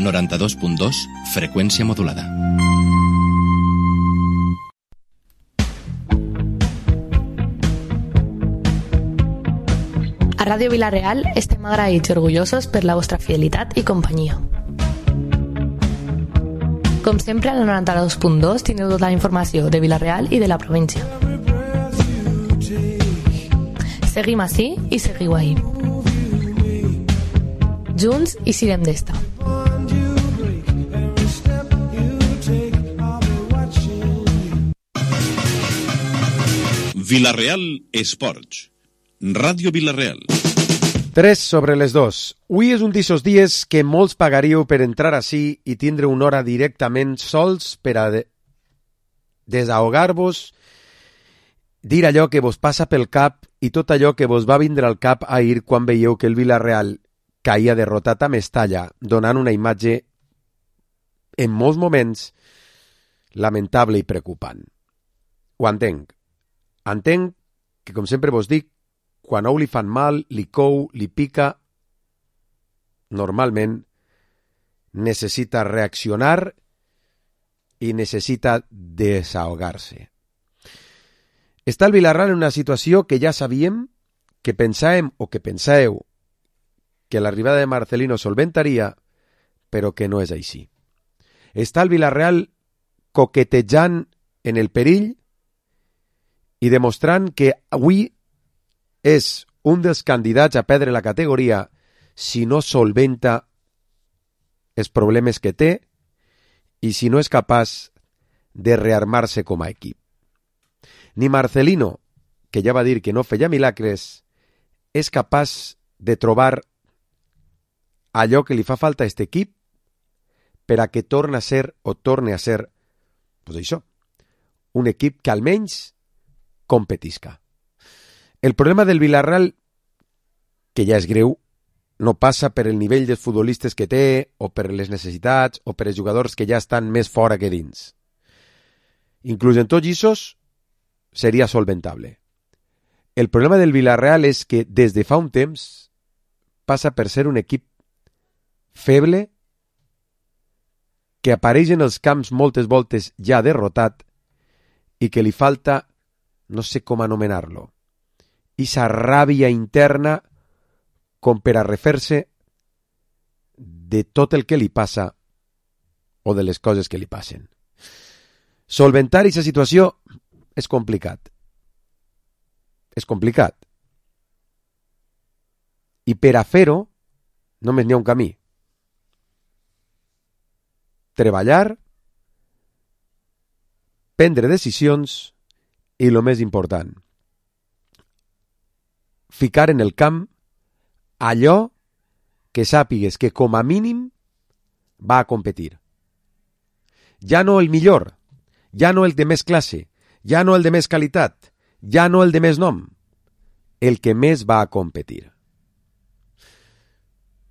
92.2, freqüència modulada. A Ràdio Vila-real estem agraïts i orgullosos per la vostra fidelitat i companyia. Com sempre, al 92.2 teniu tota la informació de Vila-real i de la província. Seguim ací i seguiu ahí. Junts i sirem d'esta. Vila-real Esports. Ràdio Vila-real. 3:02. Avui és un d'aquests dies que molts pagaríeu per entrar ací i tindre una hora directament sols per a desahogar-vos, dir allò que vos passa pel cap i tot allò que vos va vindre al cap ahir quan veieu que el Vila-real caia derrotat a Mestalla, donant una imatge en molts moments lamentable i preocupant. Ho entenc. Entenc que, com sempre vos dic, quan a un li fan mal, li cou, li pica, normalment necessita reaccionar i necessita desahogar-se. Està el Vila-real en una situació que ja sabíem, que pensàvem o que pensàveu que l'arribada de Marcelino solventaria, però que no és així. Està el Vila-real coquetejant en el perill i demostrant que avui és un dels candidats a perdre la categoria si no solventa els problemes que té i si no és capaç de rearmar-se com a equip. Ni Marcelino, que ja va dir que no feia milagres, és capaç de trobar allò que li fa falta a aquest equip per a que torne a ser, pues això, un equip que almenys competisca. El problema del Vila-real, que ja és greu, no passa per el nivell dels futbolistes que té, o per les necessitats, o per els jugadors que ja estan més fora que dins. Inclús en tots aquests seria solventable. El problema del Vila-real és que des de fa un temps passa per ser un equip feble, que apareix en els camps moltes voltes ja derrotat i que li falta, no sé com anomenar-lo, esa ràbia interna com per a refer-se de tot el que li passa o de les coses que li passen. Solventar aquesta situació és complicat. És complicat. I per a fer-ho només n'hi ha un camí. Treballar, prendre decisions i, el més important, ficar en el camp allò que sàpigues que com a mínim va a competir. Ja no el millor, ja no el de més classe, ja no el de més qualitat, ja no el de més nom, el que més va a competir.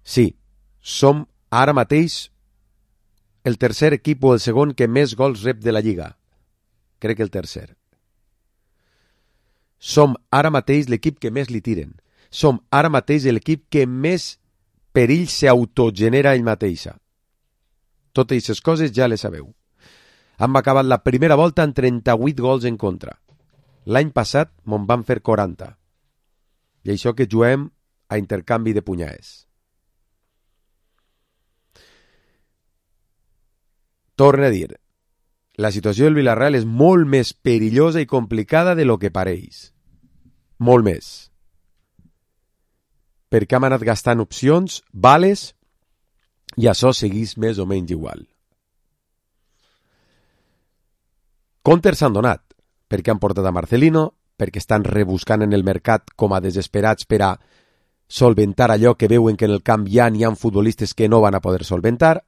Sí, som ara mateix el tercer equip o el segon que més gols rep de la Lliga. Crec que el tercer. Som ara mateix l'equip que més li tiren. Som ara mateix l'equip que més perill s'autogenera ell mateixa. Totes aquestes coses ja les sabeu. Hem acabat la primera volta amb 38 gols en contra. L'any passat me'n van fer 40. I això que juguem a intercanvi de punyades. Torne a dir, la situació del Vila-real és molt més perillosa i complicada de lo que pareix. Molt més. Perquè hem anat gastant opcions, vales, i això seguís més o menys igual. Comptes s'han donat, perquè han portat a Marcelino, perquè estan rebuscant en el mercat com a desesperats per a solventar allò que veuen que en el camp ja n'hi ha futbolistes que no van a poder solventar,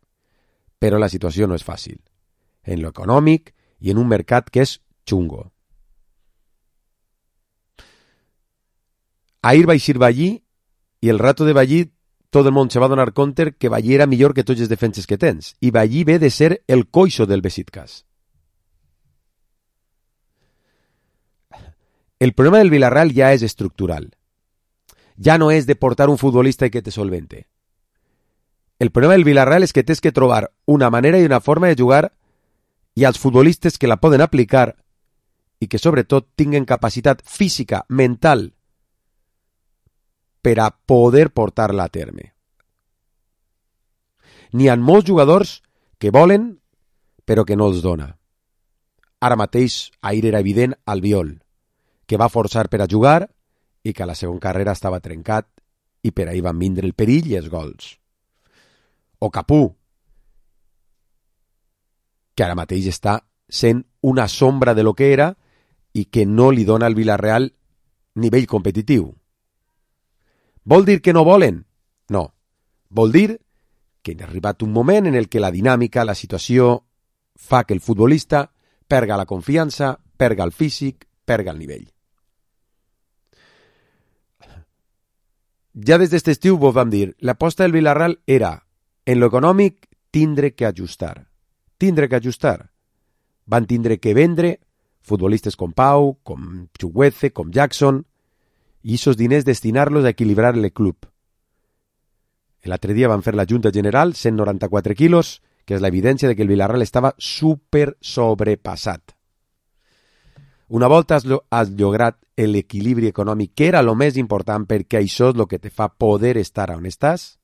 però la situació no és fàcil, en lo econòmic i en un mercat que és xungo. Ahir vaig ir Ballí i el rato de Ballí tot el món se va donar compte que Ballí era millor que tots els defenses que tens i Ballí ve de ser el coixo del Besiktas. El problema del Vila-real ja és estructural. Ja no és de portar un futbolista i que te solvente. El problema del Villarreal és que tens que trobar una manera i una forma de jugar i els futbolistes que la poden aplicar i que sobretot tinguen capacitat física, mental, per a poder portar-la a terme. N'hi ha molts jugadors que volen, però que no els dona. Ara mateix ahir era evident Albiol, que va forçar per a jugar i que a la segona carrera estava trencat i per ahir van vindre el perill i els gols. O Capú, que ara mateix està sent una sombra de lo que era i que no li dona al Villarreal nivell competitiu. Vol dir que no volen? No. Vol dir que ha arribat un moment en el que la dinàmica, la situació, fa que el futbolista perga la confiança, perga el físic, perga el nivell. Ja des d'aquest estiu vos vam dir, l'aposta del Villarreal era, en lo econòmic, tindre que ajustar. Tindre que ajustar. Van tindre que vendre futbolistes com Pau, com Chukwueze, com Jackson, i aquests diners destinar-los a equilibrar el club. L'altre dia van fer la Junta General, 194 quilos, que és l'evidència de que el Villarreal estava super sobrepassat. Una volta has lograt l'equilibri econòmic, que era el més important perquè això és el que te fa poder estar on estàs,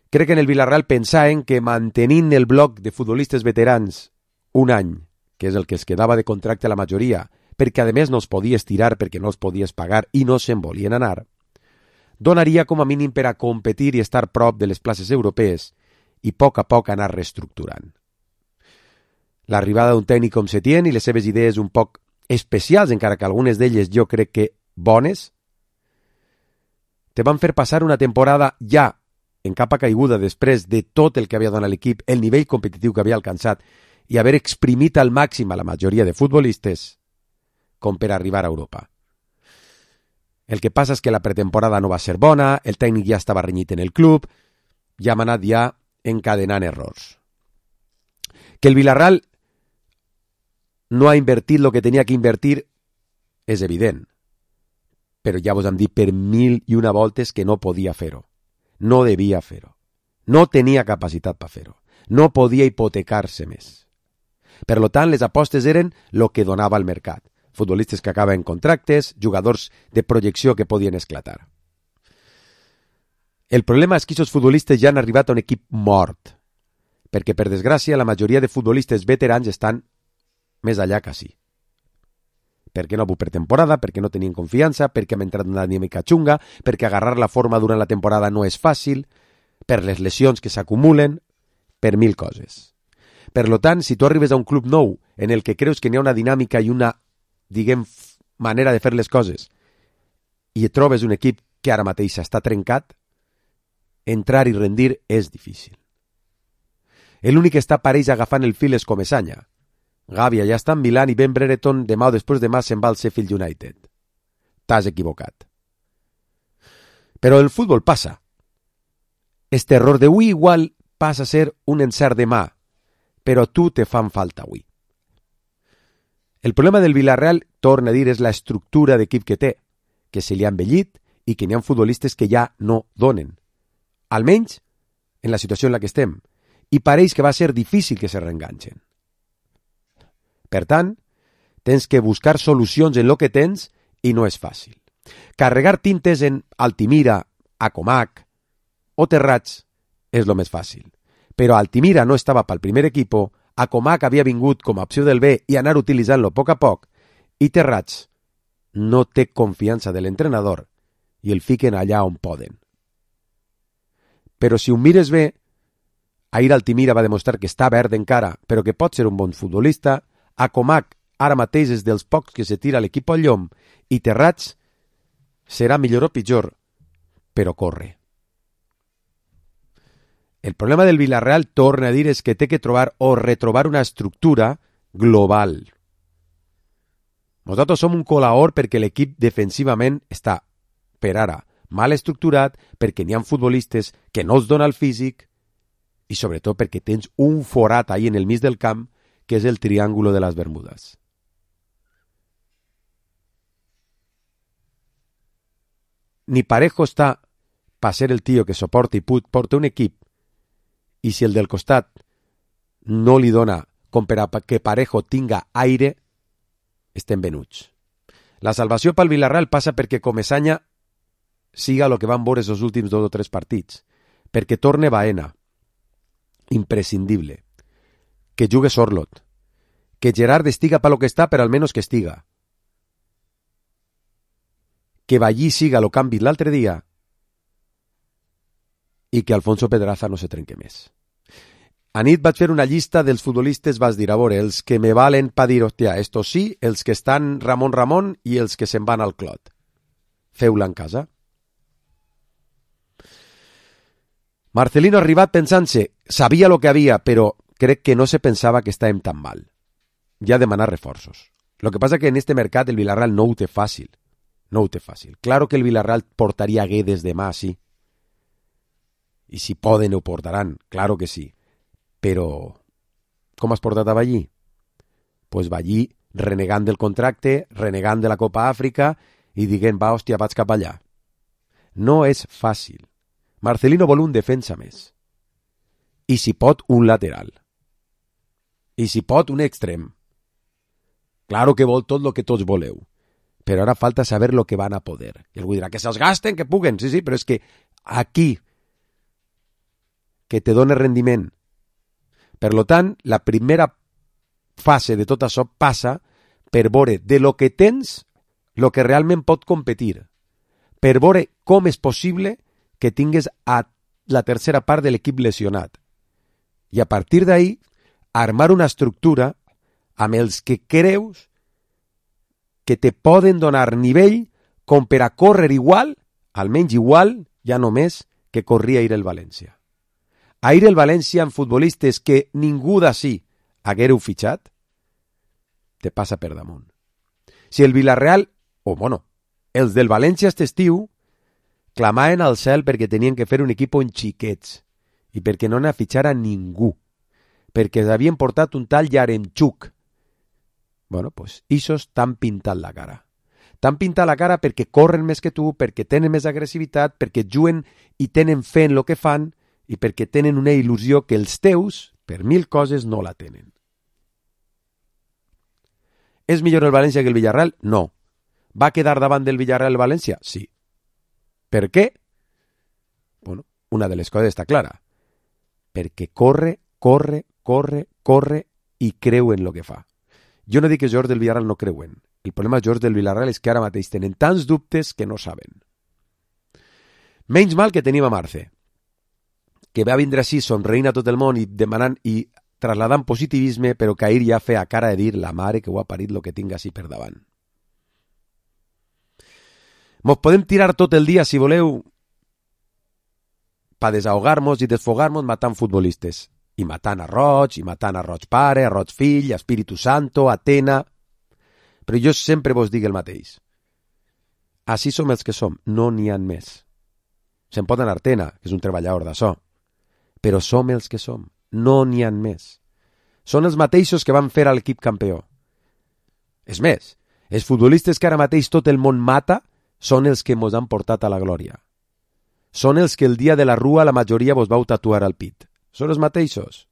crec que en el Villarreal pensaven que mantenint el bloc de futbolistes veterans un any, que és el que es quedava de contracte a la majoria, perquè a més no es podia estirar perquè no es podies pagar i no se'n volien anar, donaria com a mínim per a competir i estar prop de les places europees i a poc anar reestructurant. L'arribada d'un tècnic com Setién i les seves idees un poc especials, encara que algunes d'elles jo crec que bones, te van fer passar una temporada ja en capa caiguda després de tot el que havia donat l'equip, el nivell competitiu que havia alcançat i haver exprimit al màxim a la majoria de futbolistes com per arribar a Europa. El que passa és que la pretemporada no va ser bona, el tècnic ja estava renyit en el club, ja hem anat ja encadenant errors. Que el Villarreal no ha invertit el que tenia que invertir és evident, però ja vos hem dit per 1001 voltes que no podia fer-ho. No devia fer-ho. No tenia capacitat per fer-ho. No podia hipotecar-se més. Per tant, les apostes eren el que donava el mercat. Futbolistes que acaben contractes, jugadors de projecció que podien esclatar. El problema és que aquests futbolistes ja han arribat a un equip mort, perquè, per desgràcia, la majoria de futbolistes veterans estan més allà que sí. Perquè no ha hagut pretemporada, perquè no tenien confiança, perquè hem entrat en una dinàmica xunga, perquè agarrar la forma durant la temporada no és fàcil, per les lesions que s'acumulen, per 1000 coses. Per tant, si tu arribes a un club nou en el que creus que n'hi ha una dinàmica i una, manera de fer les coses i et trobes un equip que ara mateix està trencat, entrar i rendir és difícil. L'únic que està pareix agafant el fil és Comesaña. Gàbia ja està en Milán i Ben Brereton demà o després demà se'n va al Sheffield United. T'has equivocat. Però el futbol passa. Este error d'avui igual passa a ser un encert demà, però tu te fan falta avui. El problema del Villarreal, torna a dir, és la estructura d'equip que té, que se li ha envellit i que n'hi ha futbolistes que ja no donen. Almenys en la situació en la que estem. I pareix que va ser difícil que se reenganxen. Per tant, tens que buscar solucions en lo que tens i no és fàcil. Carregar tintes en Altimira, Acomac o Terrats és lo més fàcil. Però Altimira no estava pel primer equip, Acomac havia vingut com a opció del B i anar utilitzant-lo a poc, i Terrats no té confiança de l'entrenador i el fiquen allà on poden. Però si ho mires bé, ahir Altimira va demostrar que està verd encara, però que pot ser un bon futbolista. Acomac ara mateix és dels pocs que se tira l'equip al llom i Terrats serà millor o pitjor, però corre. El problema del Villarreal, torna a dir, és que té que trobar o retrobar una estructura global. Nosaltres som un colaor perquè l'equip defensivament està, per ara, mal estructurat, perquè n'hi ha futbolistes que no els dona el físic i sobretot perquè tens un forat ahí en el mig del camp que és el triángulo de les Bermudes. Ni Parejo està per ser el tio que soporta i porta un equip, i si el del costat no li dona com per a que Parejo tinga aire, estem venuts. La salvació pel Villarreal passa perquè Comesaña siga el que van veure els últims 2 o 3 partits, perquè torne Baena, imprescindible, que jugue Sorloth, que Gerard estiga per lo que està, però almenys que estiga, que Ballí siga lo que han vist l'altre dia i que Alfonso Pedraza no se trenque més. Anit vaig fer una llista dels futbolistes, vas dir, a veure, els que me valen pa dir, hòstia, estos sí, els que estan Ramon i els que se'n van al clot. Feu-la en casa. Marcelino ha arribat pensant-se, sabia lo que havia, però crec que no se pensava que estàvem tan mal. Ja demanar reforços. Lo que passa que en este mercat el Villarreal no ho té fàcil. No ho té fàcil. Claro que el Villarreal portaria Guedes demà, sí. I si poden ho portaran, claro que sí. Però com has portat a Ballí? Pues Ballí renegant del contracte, renegant de la Copa Àfrica i dient, va, hòstia, vaig cap allà. No és fàcil. Marcelino vol un defensa més. I si pot, un lateral. I si pot, un extrem. Claro que vol tot el que tots voleu. Però ara falta saber lo que van a poder. I algú dirà, que se'ls gasten, que puguen. Sí, però és que aquí, que te dona rendiment. Per lo tant, la primera fase de tot això passa per veure de lo que tens, lo que realment pot competir. Per veure com és possible que tingues a la tercera part de l'equip lesionat. I a partir d'ahí, armar una estructura amb els que creus que te poden donar nivell com per a córrer igual, almenys igual, ja només, que corria ahir el València. Ahir el València amb futbolistes que ningú d'ací haguéreu fitxat, te passa per damunt. Si el Villarreal, els del València aquest estiu, clamaven al cel perquè tenien que fer un equip en xiquets i perquè no n'ha fitxar a ningú, perquè s'havien portat un tal Yaremchuk. Pues ixos t'han pintat la cara. T'han pintat la cara perquè corren més que tu, perquè tenen més agressivitat, perquè juguen i tenen fe en el que fan i perquè tenen una il·lusió que els teus, per 1000 coses, no la tenen. És millor el València que el Villarreal? No. Va quedar davant del Villarreal el València? Sí. Per què? Una de les coses està clara. Perquè corre i creu en el que fa. Jo no dic que els jugadors del Villarreal no creuen. El problema dels jugadors del Villarreal és que ara mateix tenen tants dubtes que no saben. Menys mal que tenim a Marce, que va vindre així somreint a tot el món i demanant i trasladant positivisme, però que ahir ja feia cara de dir la mare que ho ha parit lo que tinga així per davant. Mos podem tirar tot el dia, si voleu, per desahogar-nos i desfogar-nos matant futbolistes. I matant a Roig, i matant a Roig pare, a Roig fill, a Espíritu Santo, a Atena. Però jo sempre vos dic el mateix. Així som els que som, no n'hi ha més. Se'n pot anar Atena, que és un treballador d'això. Però som els que som, no n'hi ha més. Són els mateixos que van fer a l'equip campió. És més, els futbolistes que ara mateix tot el món mata són els que mos han portat a la glòria. Són els que el dia de la rua la majoria vos vau tatuar al pit. Són els mateixos.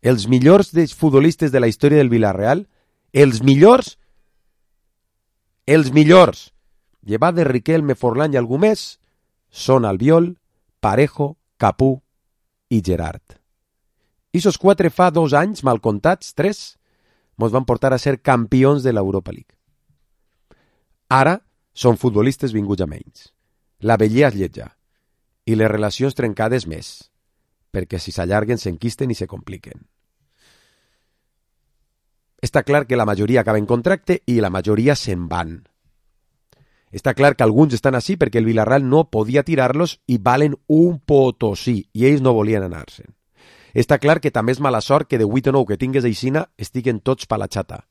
Els millors futbolistes de la història del Villarreal, els millors, llevat de Riquelme, Forlán i algú més, són Albiol, Parejo, Capú i Gerard. Ixos 4 fa 2 anys, mal comptats, 3, mos van portar a ser campions de l'Europa League. Ara són futbolistes vinguts a menys. La vellea es lletja i les relacions trencades més, perquè si s'allarguen s'enquisten i se compliquen. Està clar que la majoria acaba en contracte i la majoria se'n van. Està clar que alguns estan així perquè el Villarreal no podia tirar-los i valen un potosí i ells no volien anar-se'n. Està clar que també és mala sort que de 8 o 9 que tingues aixina estiguen tots pa la xata.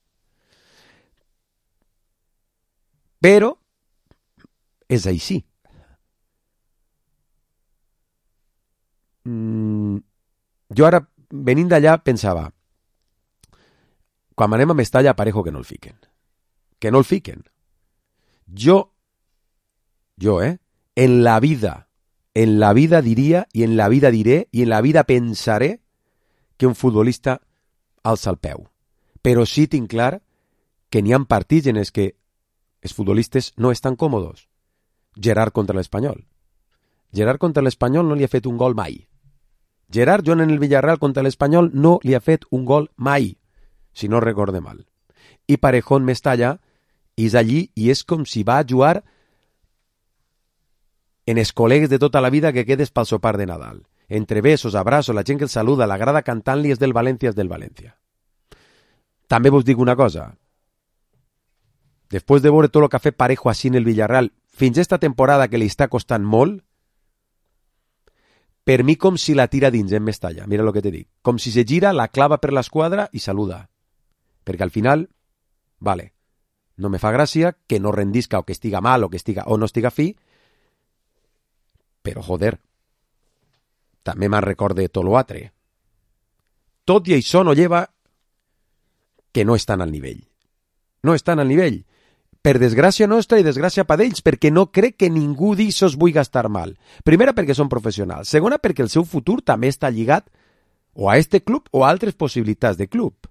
Però és així. Jo ara, venint d'allà, pensava, quan anem a Mestalla, Parejo que no el fiquen. Que no el fiquen. Jo, en la vida en la vida diria, i en la vida diré, i en la vida pensaré que un futbolista alça el peu. Però sí tinc clar que n'hi ha partits en els que els futbolistes no estan còmodes. Gerard contra l'Espanyol. Gerard contra l'Espanyol no li ha fet un gol mai. Gerard Joan en el Villarreal contra l'Espanyol no li ha fet un gol mai, si no recorde mal. I Parejón Mestalla és allí i és com si va jugar en els col·legues de tota la vida que quedes pel sopar de Nadal. Entre besos, abrazos, la gent que el saluda, la grada cantant-li és del València, és del València. També vos dic una cosa. Després de veure tot el que ha fet Parejo així en el Villarreal, fins esta temporada que li està costant molt, per mi com si la tira dins en Mestalla, mira el que te dic. Com si se gira, la clava per l'esquadra i saluda. Perquè al final, vale, no me fa gràcia que no rendisca o que estiga mal o no estiga fi, però joder, també me'n recorde tot l'altre. Tot i això no lleva que no estan al nivell. No estan al nivell. Per desgràcia nostra i desgràcia per ells, perquè no crec que ningú d'ixos vulgui estar mal. Primera, perquè són professionals. Segona, perquè el seu futur també està lligat o a este club o a altres possibilitats de club.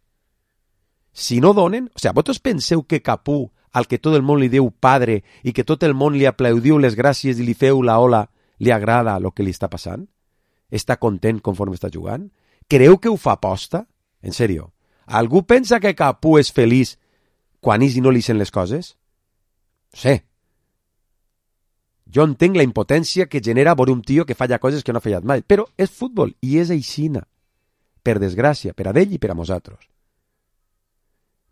Si no donen... O sigui, vosaltres penseu que Capú, al que tot el món li diu padre i que tot el món li aplaudiu les gràcies i li feu la ola, li agrada el que li està passant? Està content conforme està jugant? Creu que ho fa aposta? En sèrio. Algú pensa que Capú és feliç quan ells no li sent les coses? Sí. Jo entenc la impotència que genera veure un tio que falla coses que no ha fallat mai, però és futbol i és aixina. Per desgràcia, per a ell i per a nosaltres.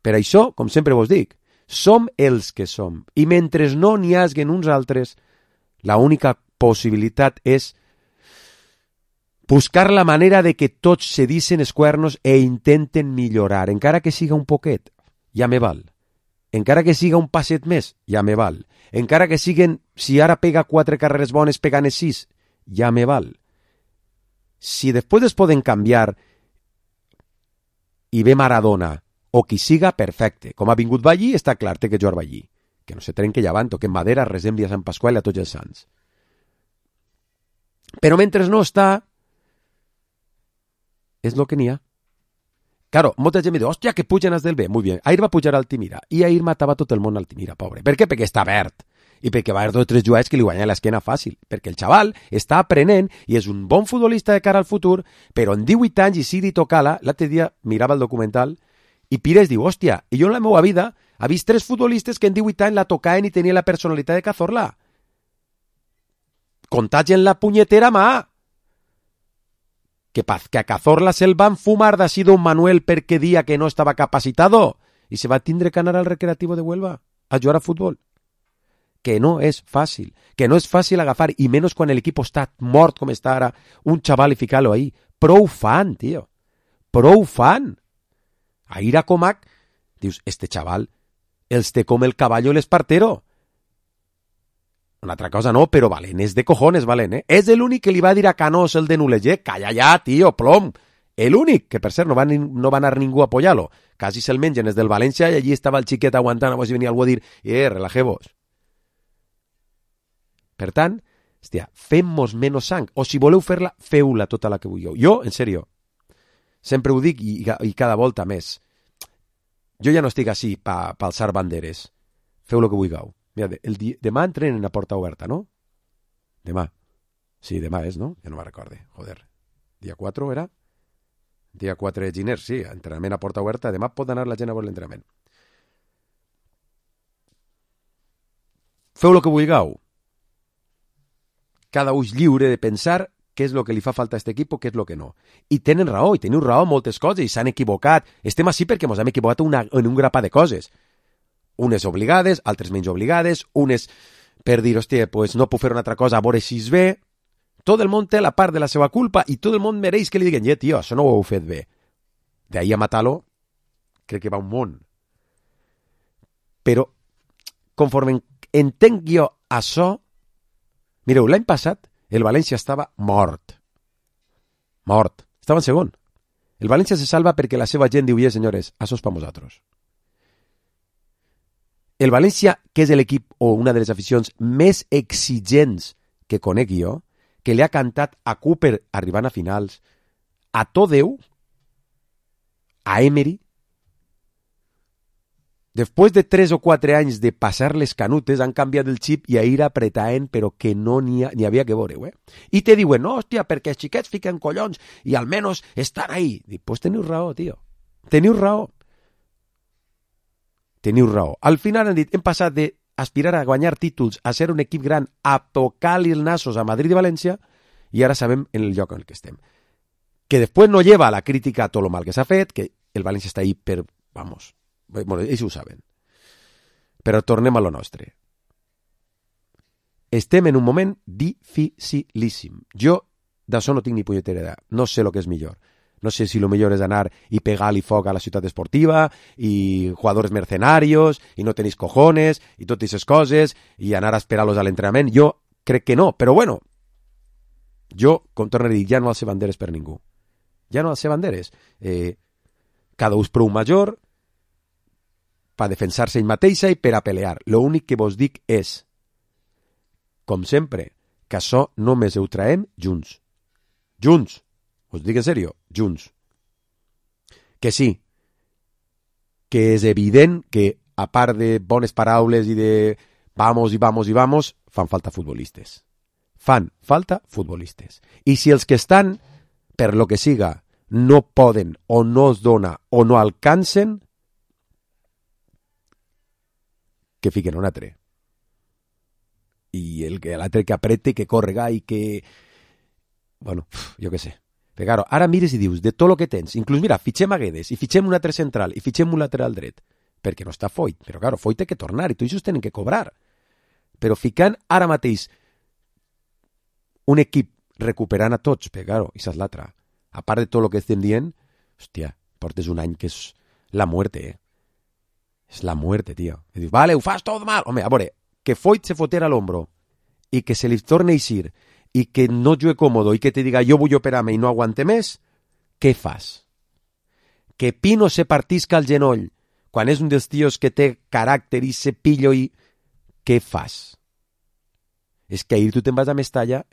Per això, com sempre vos dic, som els que som. I mentre no n'hi haguen uns altres, la única possibilitat és buscar la manera de que tots se dicen els cuernos e intenten millorar, encara que siga un poquet, ja me val. Encara que siga un passet més, ja me val. Encara que siguen, si ara pega 4 carreres bones, pegant 6, ja me val. Si després es poden canviar i ve Maradona, o qui siga, perfecte. Com ha vingut Ballí, està clar, té que jugar Ballí. Que no se trenque llevant, o que en Madera resembli a Sant Pasqual i a tots els sants. Però mentre no està, és el que n'hi ha. Claro, molta gent me diu, hòstia, que pugen els del B. Muy bien, ahir va pujar a Altimira, i ahir matava tot el món a Altimira, pobre. Per què? Perquè està verd. I perquè va haver 2 o 3 jugades que li guanyen l'esquena fàcil. Perquè el xaval està aprenent i és un bon futbolista de cara al futur, però en 18 anys, i Sidi Tocala, l'altre dia mirava el documental, i Pires diu, hòstia, i jo en la meva vida he vist 3 futbolistes que en 18 anys la tocaven i tenien la personalitat de Cazorla. Contagien la punyetera mà. Que a Cazorla se'l van fumar d'ací don Manuel perquè dia que no estava capacitado i se va tindre que anar al Recreativo de Huelva a jugar a futbol. Que no és fàcil, que no és fàcil agafar, i menys quan l'equip està mort com està ara, un xaval i ficar-lo ahí. Prou fan, tio. Prou fan. Ahir a Comac, dius, este xaval els té com el caballo el espartero. Una altra cosa no, però Valent és de cojones, Valent, eh? És l'únic que li va dir a Canós el de Nuleger, calla ja, tio, plom. L'únic, que per cert no va anar ningú a apoyar-lo. Quasi se'l mengen, és del València, i allí estava el xiquet aguantant, a veure si venia algú a dir, relajeu-vos. Per tant, hòstia, fem-nos menys sang, o si voleu fer-la, feu-la tota la que vulgueu. Jo, en sèrio, sempre ho dic i cada volta més. Jo ja no estic així per alçar banderes. Feu el que vulgueu. Mira, demà entrenen a porta oberta, no? Demà. Sí, demà és, no? Ja no me'n recorde. Joder. Dia 4 era? Dia 4 de gener, sí. Entrenament a porta oberta. Demà pot anar la gent a veure l'entrenament. Feu el que vulgueu. Cada un és lliure de pensar què és el que li fa falta a aquest equip o què és el que no. I tenen raó, i teniu raó en moltes coses, i s'han equivocat. Estem així perquè ens hem equivocat en un grapat de coses. Unes obligades, altres menys obligades, unes per dir, hòstia, pues no puc fer una altra cosa, a veure si és bé. Tot el món té la part de la seva culpa i tot el món mereix que li diguen, tio, això no ho heu fet bé. D'ahí a matar-lo, crec que va un món. Però, conforme entenc jo això, mireu, l'any passat el València estava mort. Mort. Estava en segon. El València se salva perquè la seva gent diu, senyores, això és per nosaltres. El València, que és l'equip o una de les aficions més exigents que conec jo, que li ha cantat a Cooper arribant a finals, a tot Déu, a Emery. Després de 3 o 4 anys de passar les canutes, han canviat el xip i a ir apretant, però que no n'hi havia que veure, I te diuen, no, hòstia, perquè els xiquets fiquen collons i almenys estan ahí. Dic, pues teniu raó, tio. Teniu raó. Teniu raó. Al final han dit, hem passat d'aspirar a guanyar títols, a ser un equip gran, a tocar-li els nassos a Madrid i València, i ara sabem en el lloc en el que estem. Que després no lleva la crítica a tot el mal que s'ha fet, que el València està ahí per, vamos, bueno, ells ho saben. Però tornem a lo nostre. Estem en un moment dificilíssim. Jo d'això no tinc ni punyetera idea. No sé el que és millor. No sé si lo millor és anar i pegar-li foc a la ciutat esportiva i jugadors mercenarios i no tenis cojones i totes aquestes coses i anar a esperar-los a l'entrenament. Jo crec que no, però bueno, jo, com torno a dir, ja no alce banderes per ningú. Ja no alce banderes. Cada ús prou major per defensar-se ell mateixa i per a pelear. L'únic que vos dic és, com sempre, que això només ho traem junts. Junts. Us dic en sèrio, junts. Que sí, que és evident que, a part de bones paraules i de vamos i vamos i vamos, fan falta futbolistes. Fan falta futbolistes. I si els que estan, per lo que siga, no poden o no es dona o no alcancen, que fiquen un altre. I l'altre que aprete, que correga i que... Bueno, jo què sé. Però claro, ara mires i dius, de tot el que tens, inclús mira, fitxem a Guedes, i fitxem un altre central, i fitxem un lateral dret, perquè no està Foyt, però claro, Foyt té que tornar, i tots ells tenen que cobrar. Però ficant ara mateix un equip recuperant a tots, però claro, i és l'altra. A part de tot el que estem dient, hòstia, portes un any que és la muerte, És la muerte, tio. I dius, vale, ho fas tot mal. Home, a veure, que Foyt se fotera a l'hombro i que se li torne a eixir i que no jugue còmodo i que te diga jo vull operar-me i no aguante més, què fas? Que Pino se partisca el genoll quan és un dels tios que té caràcter i se pillo i... Què fas? És que ahir tu te'n vas a Mestalla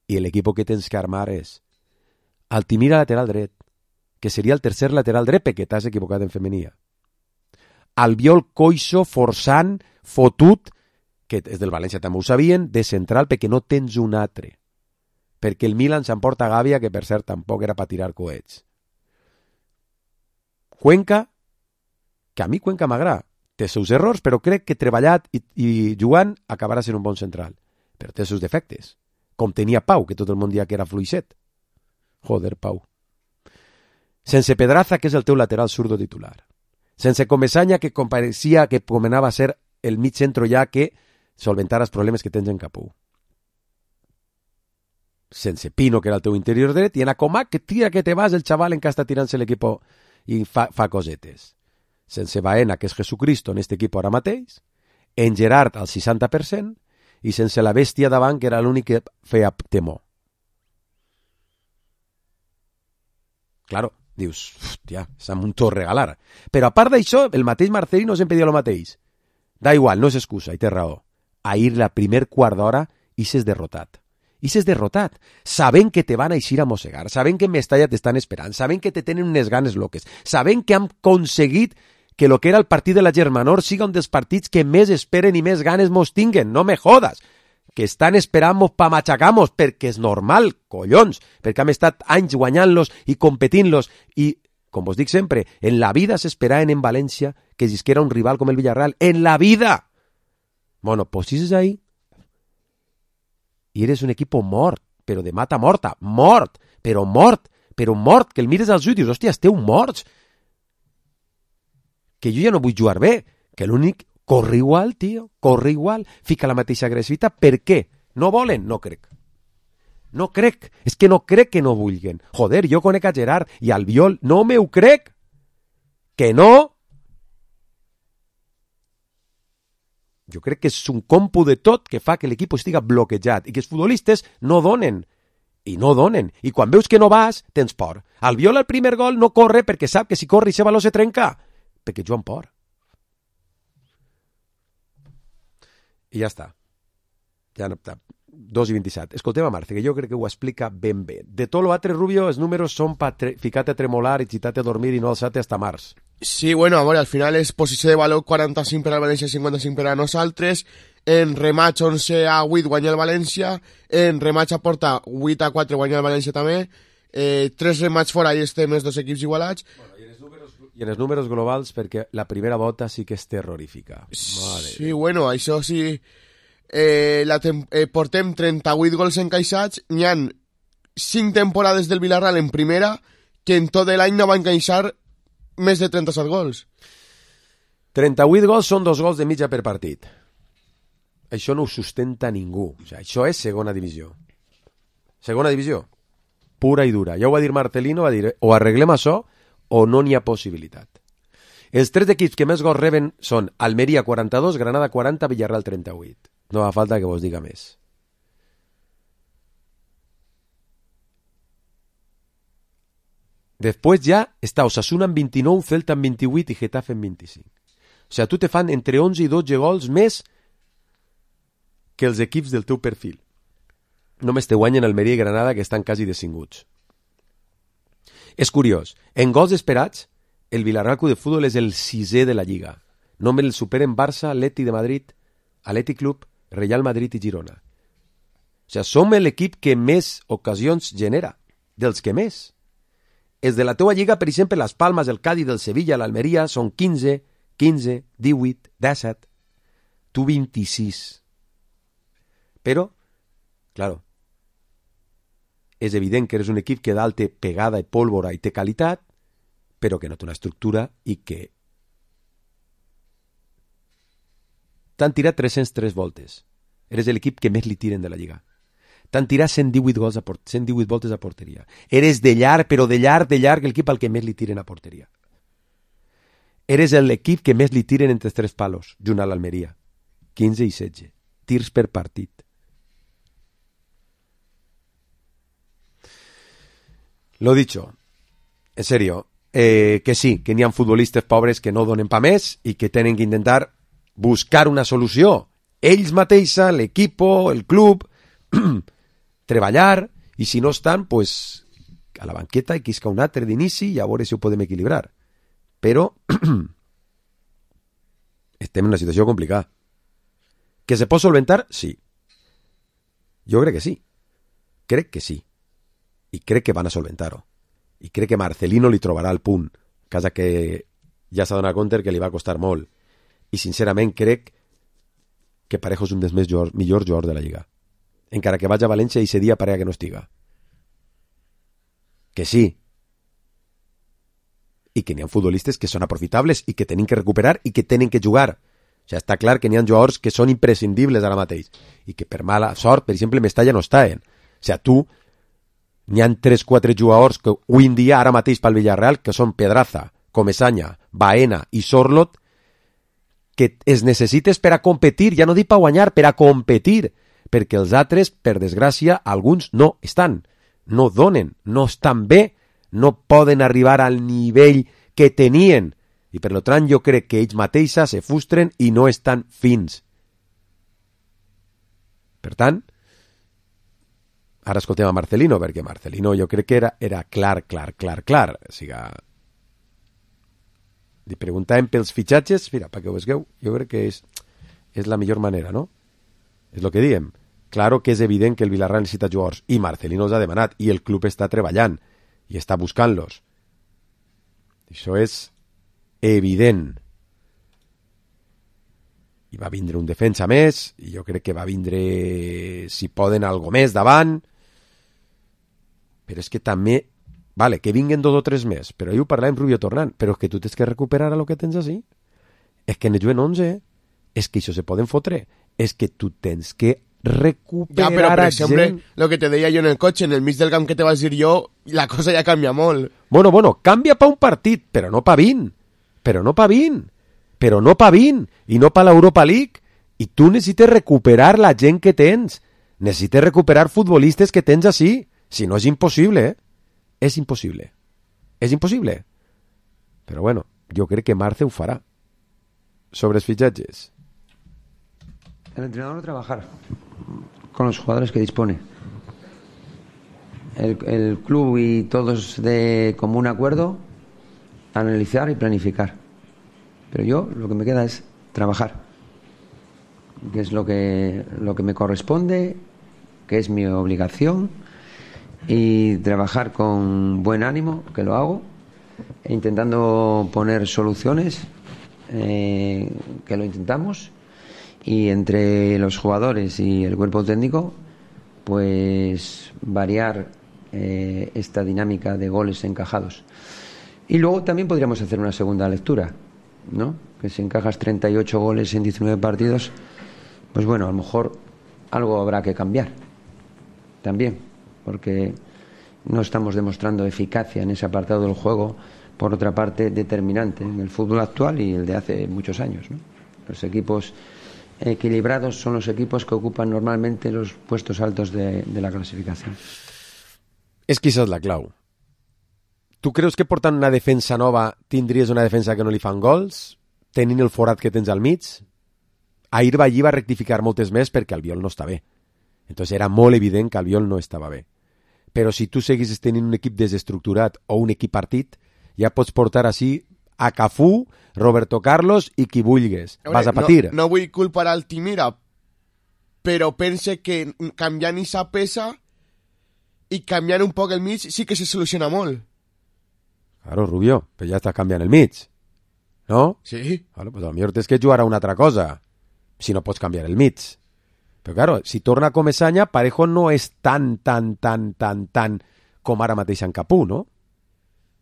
i l'equip que tens que armar és Altimira lateral dret, que seria el tercer lateral dret perquè t'has equivocat en femenia. Albiol coixo, forçant, fotut, que és del València també ho sabien, de central perquè no tens un altre. Perquè el Milan s'emporta Gàbia, que per cert tampoc era per tirar coets. Cuenca, que a mi Cuenca m'agrada. Té els seus errors, però crec que treballat i jugant acabarà sent un bon central. Però té els seus defectes. Com tenia Pau, que tot el món dia que era fluixet. Joder, Pau. Sense Pedraza, que és el teu lateral zurdo titular. Sense Comesaña, que compareixia que comenava a ser el mig centro ja que solventara els problemes que tens en Capú. Sense Pino, que era el teu interior dret, i en Acomac, que tira que te vas el xaval en que està tirant-se l'equip i fa cosetes. Sense Baena, que és Jesucristo en este equip ara mateix, en Gerard al 60%, i sense la bèstia davant, que era l'únic que feia temor. Claro, dius, hòstia, s'ha muntat a regalar. Però a part d'això, el mateix Marcelino sempre dia el mateix. Da igual, no és excusa, i té raó. Ahir la primer quart d'hora ixes derrotat. Ixes derrotat. Sabent que te van a eixir a mossegar, sabent que en Mestalla t'estan esperant, sabent que te tenen unes ganes loques, sabent que han aconseguit que lo que era el partit de la Germanor siga un dels partits que més esperen i més ganes mos tinguen. No me jodas. Que estan esperant-nos pa machacar-nos, perquè és normal, collons, perquè hem estat anys guanyant-los i competint-los, i, com vos dic sempre, en la vida s'esperaven en València que existiera un rival com el Villarreal, en la vida! Bueno, pues si és ahí, i eres un equip mort, però de mata morta, mort, però que el mires als ulls i dius, hòstia, esteu morts, que jo ja no vull jugar bé, que l'únic... Corre igual, tio, corre igual. Fica la mateixa agressivitat. Per què? No volen? No crec. No crec. És que no crec que no vulguen. Joder, jo conec a Gerard i al Albiol. No me ho crec. Que no? Jo crec que és un compu de tot que fa que l'equip estiga bloquejat i que els futbolistes no donen. I no donen. I quan veus que no vas, tens por. Albiol al primer gol no corre perquè sap que si corre i se baló se trenca. Perquè jo amb por. I ja està. Ja no, 2,27. Escoltem a Marce, que jo crec que ho explica ben bé. De tot l'altre, Rubio, els números són per ficar-te a tremolar i xitar-te a dormir i no alçar-te hasta març. Sí, bueno, a veure, al final és posició de valor 45 per al València, 55 per a nosaltres. En rematch 11-8 guanya el València. En rematch a porta 8-4 guanya el València també. 3 rematch fora i estem els dos equips igualats. Bueno, i en els números globals, perquè la primera volta sí que és terrorífica. Sí, bueno, això sí. Portem 38 gols encaixats. N'hi ha 5 temporades del Villarreal en primera que en tot l'any no va encaixar més de 37 gols. 38 gols són 2 gols de mitja per partit. Això no ho sustenta ningú. O sigui, això és segona divisió. Segona divisió. Pura i dura. Ja ho va dir Marcelino, va dir o arreglem això o no n'hi ha possibilitat. Els 3 equips que més gols reben són Almeria 42, Granada 40, Villarreal 38. No fa falta que vos diga més. Després ja està Osasuna en 29, Celta en 28 i Getafe en 25. O sigui, tu te fan entre 11 i 12 gols més que els equips del teu perfil. Només te guanyen Almeria i Granada, que estan quasi descinguts. És curiós, en gols esperats, el Villarreal Club de Futbol és el 6è de la Lliga. Només el superen Barça, Atleti de Madrid, Atleti Club, Real Madrid i Girona. O sigui, som l'equip que més ocasions genera, dels que més. Els de la teua lliga, per exemple, les Palmes, el Cádiz, el Sevilla, l'Almeria, són 15, 18, 17. Tu 26. Però, claro, és evident que eres un equip que dalt té pegada i pólvora i té qualitat, però que no té una estructura i que t'han tirat 303 voltes. Eres l'equip que més li tiren de la lliga. T'han tirat 118 voltes a porteria. Eres de llarg, però de llarg, l'equip al que més li tiren a porteria. Eres l'equip que més li tiren entre 3 palos, junt a l'Almeria. 15 i 16. Tirs per partit. Lo dicho, en serio, que sí, que n'hi ha futbolistes pobres que no donen pa més i que tenen que intentar buscar una solució. Ells mateixa, l'equipo, el club, treballar, i si no estan, pues, a la banqueta i quisca un altre d'inici i a veure si ho podem equilibrar. Però estem en una situació complicada. Que se pot solventar? Sí. Jo crec que sí. Crec que sí. I crec que van a solventar-ho. I crec que Marcelino li trobarà el punt, casa que ja s'ha donat compte que li va costar molt. I sincerament crec que Parejo és un dels millors jugadors de la Lliga. Encara que vaig a València i ese dia parega que no estiga. Que sí. I que n'hi ha futbolistes que són aprofitables i que tenen que recuperar i que tenen que jugar. O sigui, està clar que n'hi ha jugadors que són imprescindibles ara mateix i que per mala sort, per exemple, Mestalla no estaven. O sigui, tu n'hi ha 3-4 jugadors que avui en dia, ara mateix pel Villarreal, que són Pedraza, Comesaña, Baena i Sorlot, que es necessites per a competir, ja no dic per guanyar, per a competir, perquè els altres, per desgràcia, alguns no estan, no donen, no estan bé, no poden arribar al nivell que tenien, i per tant jo crec que ells mateixos se frustren i no estan fins. Per tant, ara escoltem a Marcelino, perquè Marcelino jo crec que era clar. O sigui, li preguntàvem pels fitxatges, mira, perquè ho vegueu, jo crec que és la millor manera, no? És el que diem. Claro que és evident que el Villarreal necessita jugadors, i Marcelino els ha demanat, i el club està treballant, i està buscant-los. Això és evident. I va vindre un defensa més, i jo crec que va vindre, si poden, algo més davant, però és que també, vale, que vinguen 2 o 3 més, però ahir ho parlàvem Rubio tornant, però és que tu tens que recuperar el que tens així. És que en el juguen 11, és que això se poden fotre, és que tu tens que recuperar ja, però per exemple, gent. Lo que te deia jo en el cotxe, en el mig del camp que te vas dir jo, la cosa ja canvia molt. Bueno, canvia pa un partit, però no pa 20. Però no pa 20. I no pa l'Europa League. I tu necessites recuperar la gent que tens. Necessites recuperar futbolistes que tens així. Si no és impossible, És impossible. És impossible. Però bueno, jo crec que Marce ho farà. Sobre els fitxatges. El entrenador no trabajar. con los jugadores que dispone. El club y todos de común acuerdo, analizar y planificar. Pero yo lo que me queda es trabajar, que es lo que me corresponde, que es mi obligación, y trabajar con buen ánimo, que lo hago, e intentando poner soluciones, que lo intentamos, y entre los jugadores y el cuerpo técnico, pues variar esta dinámica de goles encajados. Y luego también podríamos hacer una segunda lectura, ¿no? Que si encajas 38 goles en 19 partidos, pues bueno, a lo mejor algo habrá que cambiar también, porque no estamos demostrando eficacia en ese apartado del juego, por otra parte determinante en el fútbol actual y el de hace muchos años, ¿no? Los equipos equilibrados son los equipos que ocupan normalmente los puestos altos de la clasificación. És que això és la clau. Tu creus que portant una defensa nova tindries una defensa que no li fan gols? Tenint el forat que tens al mig? Ahir Ballí va rectificar moltes més perquè Albiol no està bé. Entonces era molt evident que Albiol no estava bé. Però si tu seguissis tenint un equip desestructurat o un equip partit, ja pots portar així a Cafú, Roberto Carlos i qui vulguis. Vas a patir. No vull culpar Altimira, però pense que canviant esa peça i canviant un poc el mig sí que se soluciona molt. Claro, Rubio, però ja estàs canviant el mig. ¿No? Sí. Claro, pues a lo millor tens que jugar a una altra cosa, si no pots canviar el mig. Però claro, si torna com Esanya, Parejo no és tan com ara mateix en Capú, no?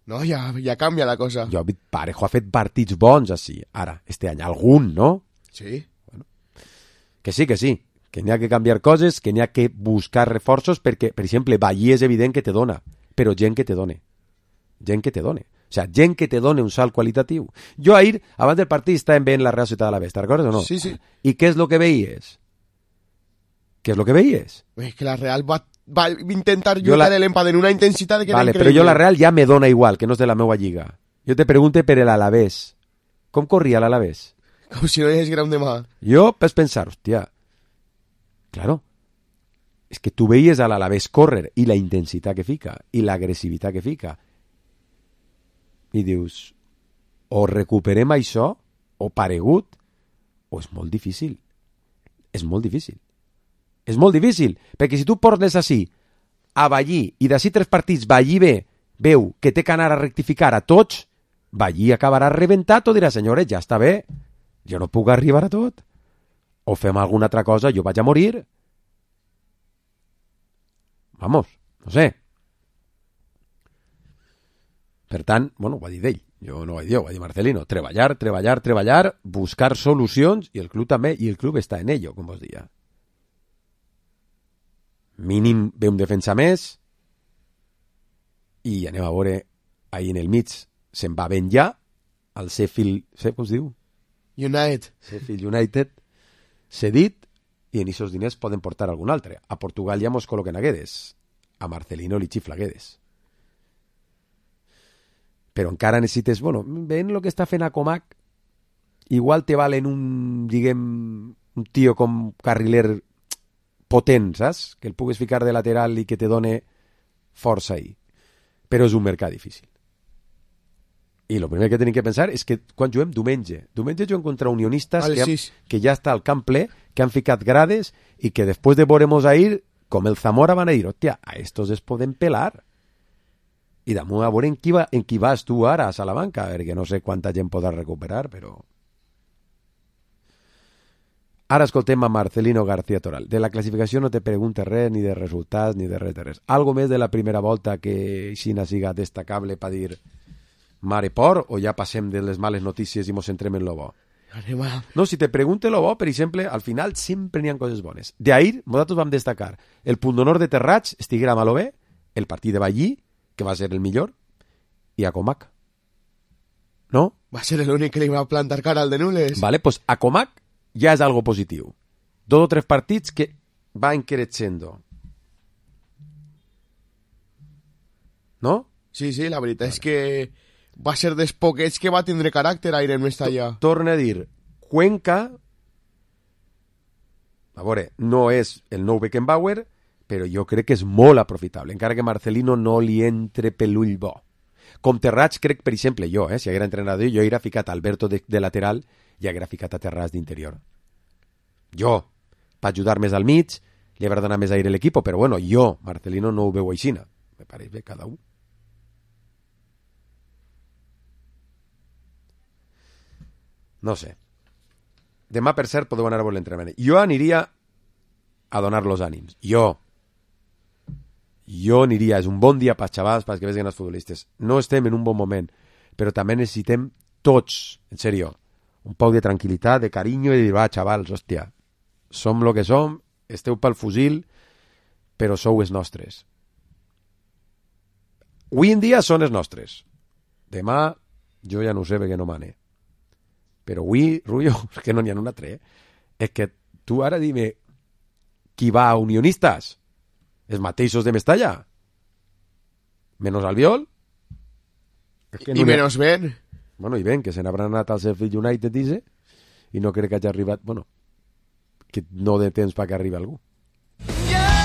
No, ja canvia la cosa. Parejo ha fet partits bons així, ara, este any. Algun, no? Sí. Bueno, que sí, que n'hi ha que canviar coses, que n'hi ha que buscar reforços, perquè, per exemple, Ballí és evident que te dona, però gent que te done. Gent que te done. O sea, gent que te done un salt qualitatiu. Jo ahir, abans del partit, estàvem veient la Real Ciutat de l'Alavés, te'n recordes o no? Sí, sí. I què és lo que veies? Què és lo que veies? Es que la Real va intentar lluitar l'empat en una intensitat que vale, era increïble. Però jo la Real ja me dona igual, que no és de la meua lliga. Jo te pregunte per l'Alavés. Com corria l'Alavés? Com si no hi hagués gran demà. Jo vas pensar, hòstia, claro, és que tu veies a l'Alavés córrer i la intensitat que fica i l'agressivitat que fica i dius, o recuperem això o paregut, o és molt difícil. És molt difícil. És molt difícil, perquè si tu portes així a Ballí i d'ací 3 partits Ballí veu que té que anar a rectificar a tots, Ballí acabarà reventat o dirà, senyores, ja està bé, jo no puc arribar a tot, o fem alguna altra cosa, jo vaig a morir. Vamos, no sé. Per tant, bueno, ho va dir d'ell, jo no ho vaig dir, ho va dir Marcelino, treballar, buscar solucions, i el club també, i el club està en ello, com vos dia. Mínim ve un defensa més, i anem a veure, ahir en el mig, se'n va ben ja, al Sheffield, com es diu? Sheffield United, cedit, i en aquests diners poden portar algun altre. A Portugal ja mos col·loquen a Guedes, a Marcelino li xifla Guedes. Però encara necessites, bueno, ven el que està fent a Comac, igual te valen un tio com carriler potent, saps? Que el pugues ficar de lateral i que te done força ahí. Però és un mercat difícil. I el primer que tenim que pensar és que quan juguem diumenge juguem contra unionistes que ja està al camp ple, que han ficat grades i que després de veuremos ahir, com el Zamora van a dir, hòstia, a estos es poden pelar. I damunt a veure en qui vas tu ara a Salamanca, perquè no sé quanta gent podrà recuperar, però... Ara escoltem a Marcelino García Toral. De la classificació no te preguntes res, ni de resultats, ni de res. Algo més de la primera volta que Xina siga destacable per dir mare por, o ja passem de les males notícies i mos centrem en lo bo? No, si te pregunte lo bo, per exemple, al final sempre n'hi ha coses bones. D'ahir, nosaltres vam destacar el punt d'honor de Terrats, estiguera mal o bé, el partit de Ballí, que va ser el millor, i a Comac. No? Va ser l'únic que li va plantar cara al de Nules. Vale, pues a Comac ja és algo positiu. 2 o 3 partits que van creixendo. No? Sí, la veritat és que va ser dels poquets que va tindre caràcter aire en Mestalla. Torna a dir, Cuenca, A veure, no és el nou Beckenbauer, però jo crec que és molt aprofitable, encara que Marcelino no li entre per l'ull bo. Com Terrats, crec, per exemple, jo, si haguera entrenador, jo hauria ficat Alberto de lateral i haguera ficat a Terrats d'interior. Jo, per ajudar més al mig, li haurà donat més aire a l'equip, però bueno, jo, Marcelino, no ho veu aixina. Me pareix bé cada un. No sé. Demà, per cert, podeu anar a veure l'entrenament. Jo aniria a donar los ànims. Jo aniria. És un bon dia per xavals, perquè vegin els futbolistes. No estem en un bon moment, però també necessitem tots, en sèrio, un poc de tranquil·litat, de carinyo i de dir, va, xavals, hòstia, som lo que som, esteu pel fusil, però sou els nostres. Avui en dia són els nostres. Demà, jo ja no ho sé perquè no mane. Però avui, Rullo, és que no n'hi ha un altre, és que tu ara dime qui va a Unionistas? Els mateixos de Mestalla? Menos Albiol? I menos Ben. Bueno, i Ben, que se n'haurà anat al Sheffield United, dice, i no crec que hagi arribat... Bueno, que no de temps perquè arribi algú.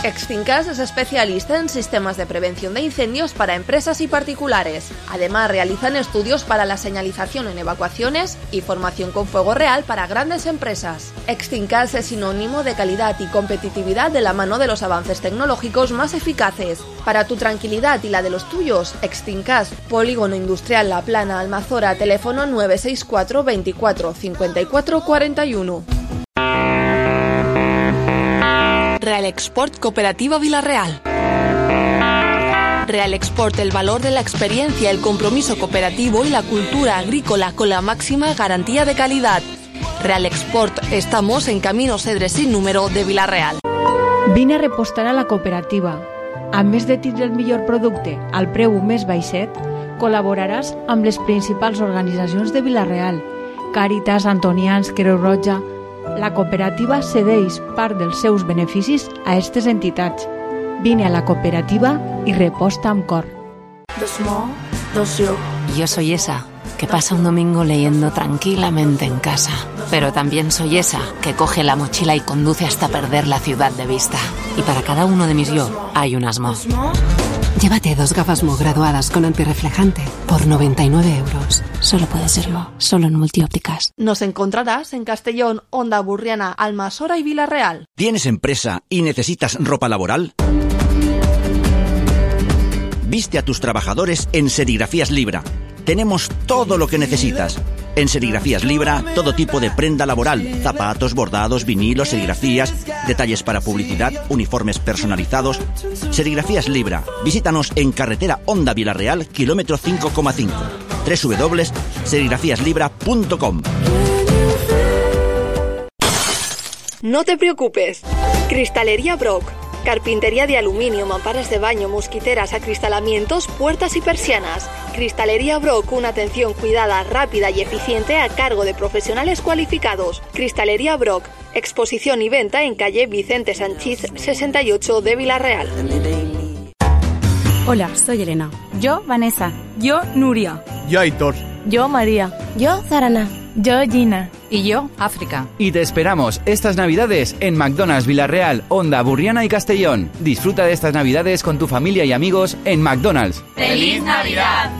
Extincas es especialista en sistemas de prevención de incendios para empresas y particulares. Además, realizan estudios para la señalización en evacuaciones y formación con fuego real para grandes empresas. Extincas es sinónimo de calidad y competitividad de la mano de los avances tecnológicos más eficaces. Para tu tranquilidad y la de los tuyos, Extincas, Polígono Industrial La Plana, Almazora, teléfono 964 24 54 41. Real Export Cooperativa Vilarreal. Real Export, el valor de la experiencia, el compromiso cooperativo y la cultura agrícola con la máxima garantía de calidad. Real Export, estamos en Camino Cedres sin número de Vilarreal. Vine a repostar a la cooperativa. A més de tindre el millor producte al preu més baixet, col·laboraràs amb les principals organitzacions de Vilarreal, Càritas, Antonians, Creu Roja. La cooperativa cedeix part dels seus beneficis a aquestes entitats. Vine a la cooperativa y reposta amb cor. Yo soy esa que pasa un domingo leyendo tranquilamente en casa, pero también soy esa que coge la mochila y conduce hasta perder la ciudad de vista. Y para cada uno de mis yo hay un Asmo. Llévate 2 gafas Mo graduadas con antirreflejante por 99 euros. Solo puede serlo, solo en Multiópticas. Nos encontrarás en Castellón, Onda Burriana, Almasora y Vilarreal. ¿Tienes empresa y necesitas ropa laboral? Viste a tus trabajadores en Serigrafías Libra. Tenemos todo lo que necesitas. En Serigrafías Libra, todo tipo de prenda laboral, zapatos, bordados, vinilos, serigrafías, detalles para publicidad, uniformes personalizados. Serigrafías Libra. Visítanos en carretera Onda Vilarreal, kilómetro 5,5. www.serigrafíaslibra.com. No te preocupes. Cristalería Brock. Carpintería de aluminio, mamparas de baño, mosquiteras, acristalamientos, puertas y persianas. Cristalería Brock, una atención cuidada, rápida y eficiente a cargo de profesionales cualificados. Cristalería Brock, exposición y venta en calle Vicente Sanchís 68 de Vilarreal. Hola, soy Elena. Yo, Vanessa. Yo, Nuria. Yo, Aitor. Yo, María. Yo, Zarana. Yo, Gina. Y yo, África. Y te esperamos estas Navidades en McDonald's Vilarreal, Onda Burriana y Castellón. Disfruta de estas Navidades con tu familia y amigos en McDonald's. ¡Feliz Navidad!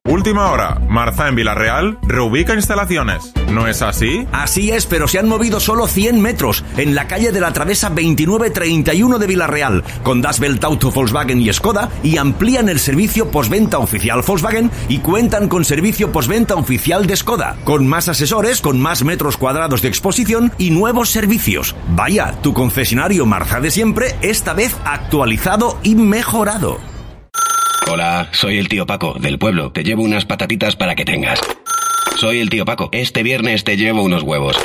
Última hora. Marza en Vilarreal reubica instalaciones. ¿No es así? Así es, pero se han movido solo 100 metros en la calle de la Travesa 2931 de Vilarreal, con Das Welt Auto Volkswagen y Skoda, y amplían el servicio postventa oficial Volkswagen y cuentan con servicio postventa oficial de Skoda, con más asesores, con más metros cuadrados de exposición y nuevos servicios. Vaya, tu concesionario Marza de siempre, esta vez actualizado y mejorado. Hola, soy el tío Paco, del pueblo. Te llevo unas patatitas para que tengas. Soy el tío Paco. Este viernes te llevo unos huevos.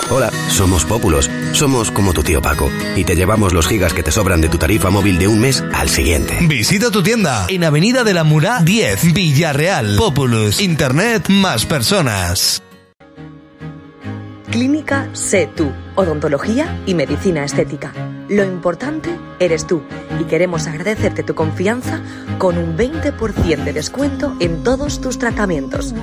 Hola, somos Pópulos. Somos como tu tío Paco. Y te llevamos los gigas que te sobran de tu tarifa móvil de un mes al siguiente. Visita tu tienda en Avenida de la Murá 10, Villarreal. Populus. Internet más personas. Clínica Sé Tú, odontología y medicina estética. Lo importante eres tú y queremos agradecerte tu confianza con un 20% de descuento en todos tus tratamientos.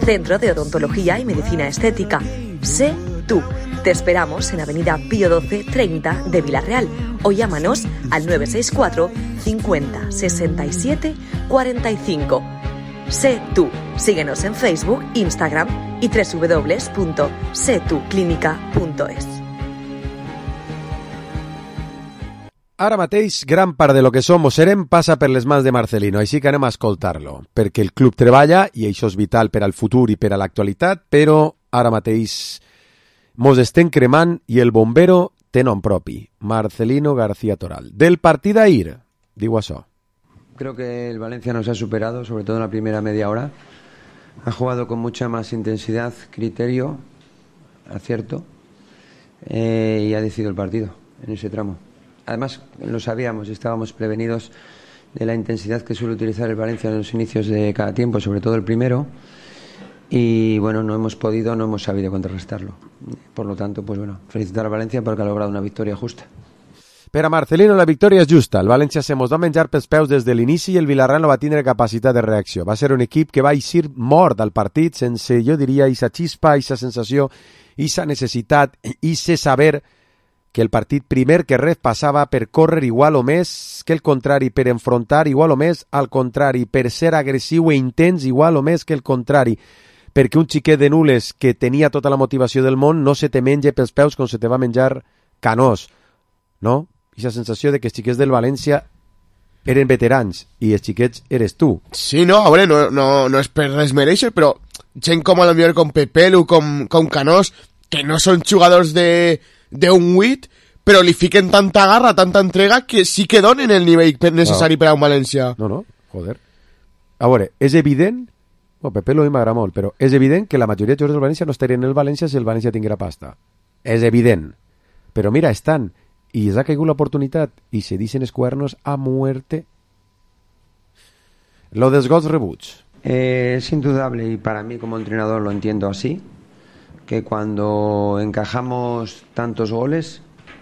Centro de Odontología y Medicina Estética. Sé Tú, Te esperamos en Avenida Pío 12 30 de Villarreal o llámanos al 964 50 67 45. Sé tú. Síguenos en Facebook, Instagram y www.setuclínica.es. Ara mateix, gran part de lo que som o serem passa per les mans de Marcelino, així que anem a escoltar-lo, perquè el club treballa i això és vital per al futur i per a l'actualitat, però ara mateix mos estem cremant i el bombero té nom propi, Marcelino García Toral. Del partit d'ahir, diu això. Creo que el Valencia nos ha superado, sobre todo en la primera media hora. Ha jugado con mucha más intensidad, criterio, acierto, y ha decidido el partido en ese tramo. Además, lo sabíamos, estábamos prevenidos de la intensidad que suele utilizar el Valencia en los inicios de cada tiempo, sobre todo el primero, y bueno, no hemos sabido contrarrestarlo. Por lo tanto, pues bueno, felicitar a Valencia porque ha logrado una victoria justa. Per a Marcelino la victòria és justa. El València se mos va menjar pels peus des de l'inici i el Villarreal no va tindre capacitat de reacció. Va ser un equip que va eixir mort al partit sense, jo diria, aquesta xispa, aquesta sensació, aquesta necessitat, aquest saber que el partit primer que res passava per córrer igual o més que el contrari, per enfrontar igual o més al contrari, per ser agressiu e intens igual o més que el contrari, perquè un xiquet de Nules que tenia tota la motivació del món no se te menja pels peus com se te va menjar Canós, no? Aquesta sensació de que els xiquets del València eren veterans i els xiquets eres tu. Sí, no, a veure, no és per desmereixer, però gent com a lo millor com Pepelu, com Canós, que no són jugadors d'un 8, però li fiquen tanta garra, tanta entrega, que sí que donen el nivell necessari per a un València. No, joder. A veure, és evident, Pepelu a mi m'agrada molt, però és evident que la majoria de jugadors del València no estarien en el València si el València tinguera pasta. És evident. Però mira, estan, i els ha caigut l'oportunitat, i se dicen els cuernos a muerte. Lo dels gols rebuts. Es indudable, y para mí como entrenador lo entiendo así, que cuando encajamos tantos goles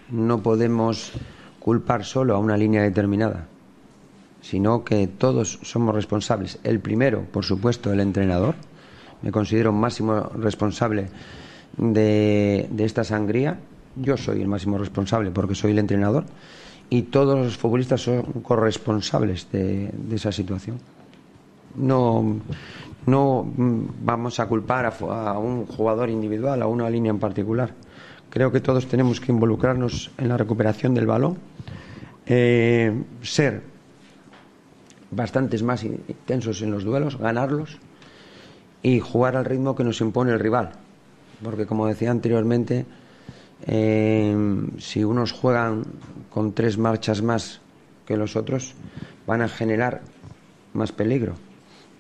no podemos culpar solo a una línea determinada, sino que todos somos responsables. El primero, por supuesto, el entrenador. Me considero máximo responsable de esta sangría. Yo soy el máximo responsable porque soy el entrenador, y todos los futbolistas son corresponsables de esa situación. No vamos a culpar a un jugador individual, a una línea en particular. Creo que todos tenemos que involucrarnos en la recuperación del balón, ser bastantes más intensos en los duelos, ganarlos y jugar al ritmo que nos impone el rival. Porque, como decía anteriormente, si unos juegan con 3 marchas más que los otros, van a generar más peligro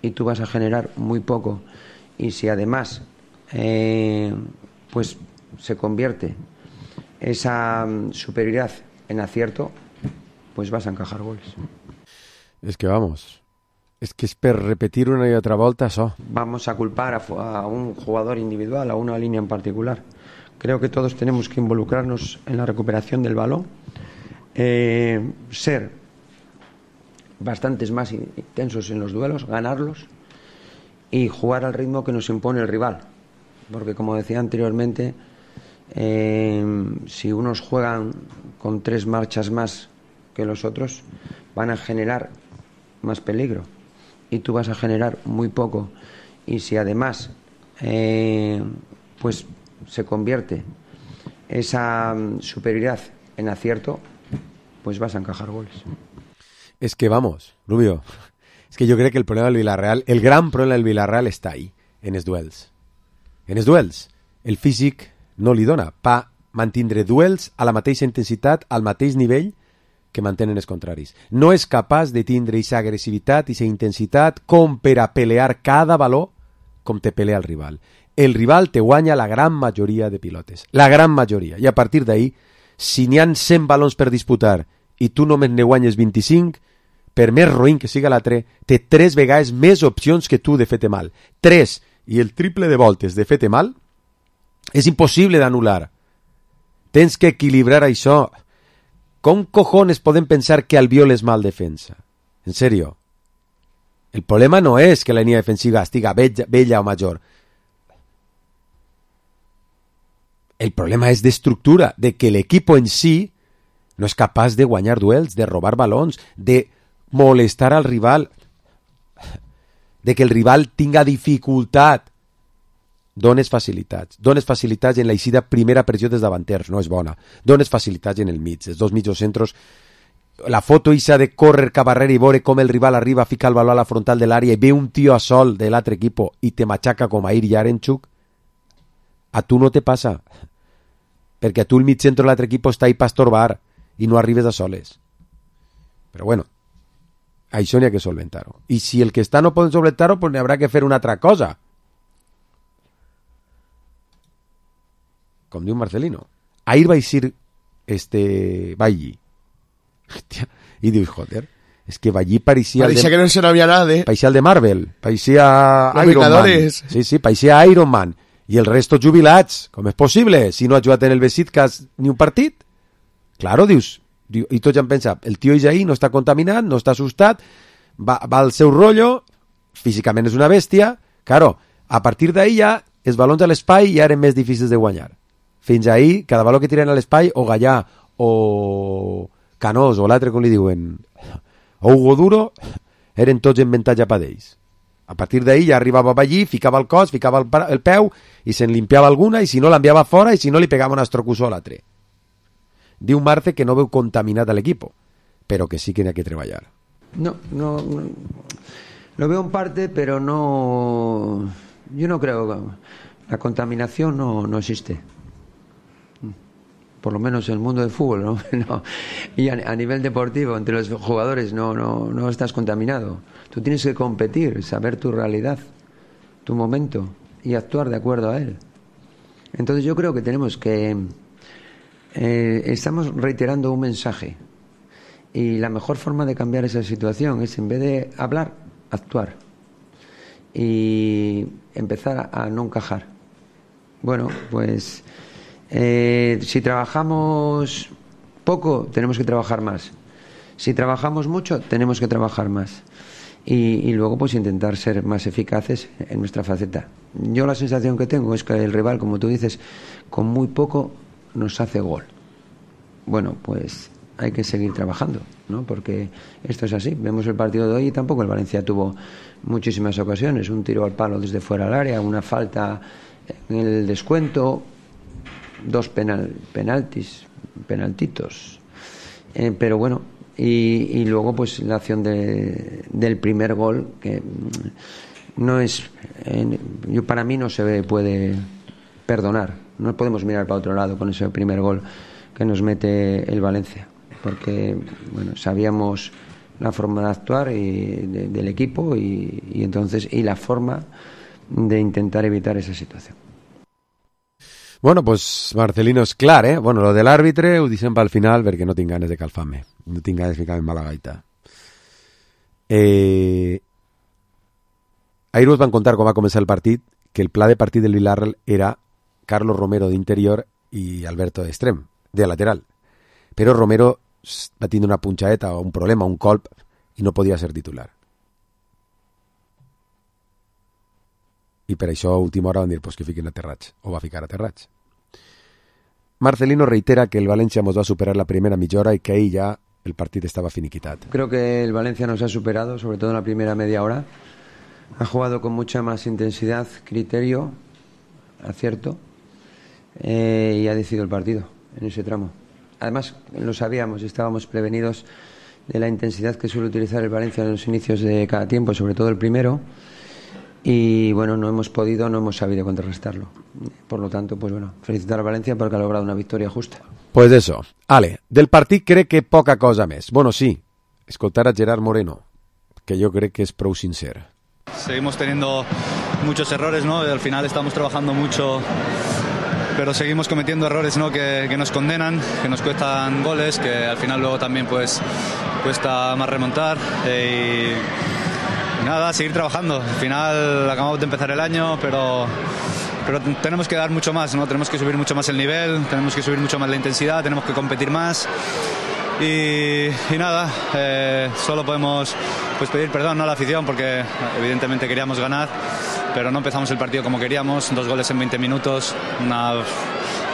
y tú vas a generar muy poco. Y si además pues se convierte esa superioridad en acierto, pues vas a encajar goles. Es que vamos, es que es per repetir una y otra volta això. Vamos a culpar a un jugador individual, a una línea en particular. Creo que todos tenemos que involucrarnos en la recuperación del balón, ser bastantes más intensos en los duelos, ganarlos y jugar al ritmo que nos impone el rival. Porque, como decía anteriormente, si unos juegan con 3 marchas más que los otros, van a generar más peligro y tú vas a generar muy poco. Y si además pues se convierte esa superioridad en acierto, pues vas a encajar goles. Es que vamos, Rubio, es que yo creo que el problema del Villarreal, el gran problema del Villarreal està ahí, en els duels. En els duels, el físic no li dona pa mantindre duels a la mateixa intensitat, al mateix nivell que mantenen els contraris. No és capaç de tindre aquesta agressivitat, aquesta intensitat, com per a pelear cada valor com te pelea el rival. El rival te guanya la gran majoria de pilotes. La gran majoria. I a partir d'ahí, si n'hi ha 100 balons per disputar i tu només ne guanyes 25, per més roïn que siga l'altre, té 3 vegades més opcions que tu de fer-te mal. 3 i el triple de voltes de fer-te mal és impossible d'anul·lar. Tens que equilibrar això. Com cojones podem pensar que Albiol és mal defensa? En serio. El problema no és que la línia defensiva estiga vella o major. El problema és d'estructura, de que l'equip en si no és capaç de guanyar duels, de robar balons, de molestar al rival, de que el rival tinga dificultat. Dones facilitats en l'eixida primera pressió dels davanters, no és bona. Dones facilitats en el mig, els dos mitjos centros. La foto ixa de córrer cap arrere i veure com el rival arriba a ficar el baló a la frontal de l'àrea i ve un tio a sol de l'altre equip i te machaca com a Ir Yarenchuk, a tu no te passa. Perquè a tu el mig centro de l'altre equip està ahí per estorbar i no arribes a soles. Però bueno, això n'hi ha que solventar-ho. I si el que està no poden solventar-ho, pues n'hi haurà que fer una altra cosa. Com diu Marcelino. Ahir va eixir Bailly. Hòstia. I dius, joder, és que Bailly pareixia que no se no havia nada, pareixia el de Marvel, pareixia Iron Man. Sí, pareixia Iron Man. I el resto jubilats. Com és possible? Si no ha jugat en el Besiktas ni un partit? Claro, dius. I tots han pensat, el tio és ahí, no està contaminat, no està assustat, va al seu rotllo, físicament és una bèstia. Claro, a partir d'ahí ja els balons a l'espai ja eren més difícils de guanyar. Fins ahí, cada baló que tiren a l'espai, o Gallà, o Canós, o l'altre, com li diuen, o Hugo Duro, eren tots en avantatge per ells. A partir d'ahí ja arribava allí, ficava el cos, ficava el peu, i se'n limpiava alguna, i si no l'enviava fora, i si no li pegava un astrocusó a l'altre. Diu Marce que no veu contaminat a l'equip, però que sí que n'hi ha que treballar. No. Lo veo en parte, pero no... Yo no creo... La contaminación no existe. Por lo menos en el mundo del fútbol, ¿no? No. Y a nivel deportivo, entre los jugadores, no estás contaminado. Tú tienes que competir, saber tu realidad, tu momento, y actuar de acuerdo a él. Entonces yo creo que tenemos que... estamos reiterando un mensaje. Y la mejor forma de cambiar esa situación es, en vez de hablar, actuar. Y empezar a no encajar. Bueno, pues... si trabajamos poco, tenemos que trabajar más. Si trabajamos mucho, tenemos que trabajar más. Y luego pues intentar ser más eficaces en nuestra faceta. Yo la sensación que tengo es que el rival, como tú dices, con muy poco nos hace gol. Bueno, pues hay que seguir trabajando, ¿no? Porque esto es así. Vemos el partido de hoy y tampoco el Valencia tuvo muchísimas ocasiones. Un tiro al palo desde fuera del área, una falta en el descuento, dos penaltitos. Pero bueno, y luego pues la acción del primer gol, que no es... para mí no se puede perdonar. No podemos mirar para otro lado con ese primer gol que nos mete el Valencia. Porque, bueno, sabíamos la forma de actuar del equipo y entonces la forma de intentar evitar esa situación. Bueno, pues Marcelino és clar, eh? Bueno, lo de l'àrbitre ho deixem pel final perquè no tinc ganes de calfar-me. No tinc ganes de ficar-me en mala gaita. Ahir us van contar com va començar el partit, que el pla de partit del Villarreal era Carlos Romero d'interior i Alberto d'extrem, de lateral. Però Romero va tindre una punxadeta o un problema, un colp, i no podia ser titular. I per això a última hora van dir pues, que fiquin a Terrats, o va ficar a Terrats. Marcelino reitera que el Valencia nos va a superar la primera mitja hora y que ahí ya el partido estaba finiquitado. Creo que el Valencia nos ha superado, sobre todo en la primera media hora. Ha jugado con mucha más intensidad, criterio, acierto, y ha decidido el partido en ese tramo. Además, lo sabíamos, estábamos prevenidos de la intensidad que suele utilizar el Valencia en los inicios de cada tiempo, sobre todo el primero. Y bueno, no hemos sabido contrarrestarlo. Por lo tanto, pues bueno, felicitar a Valencia porque ha logrado una victoria justa. Pues eso. Ale, del partit crec que poca cosa més. Bueno, sí, escoltar a Gerard Moreno, que yo creo que es prou sincer. Seguimos teniendo muchos errores, ¿no? Al final estamos trabajando mucho, pero seguimos cometiendo errores, ¿no? Que nos condenan, que nos cuestan goles, que al final luego también pues cuesta más remontar. Nada, seguir trabajando. Al final acabamos de empezar el año, pero tenemos que dar mucho más, ¿no? Tenemos que subir mucho más el nivel, tenemos que subir mucho más la intensidad, tenemos que competir más. Y nada, solo podemos pues pedir perdón, ¿no?, a la afición, porque evidentemente queríamos ganar, pero no empezamos el partido como queríamos. 2 goles en 20 minutos,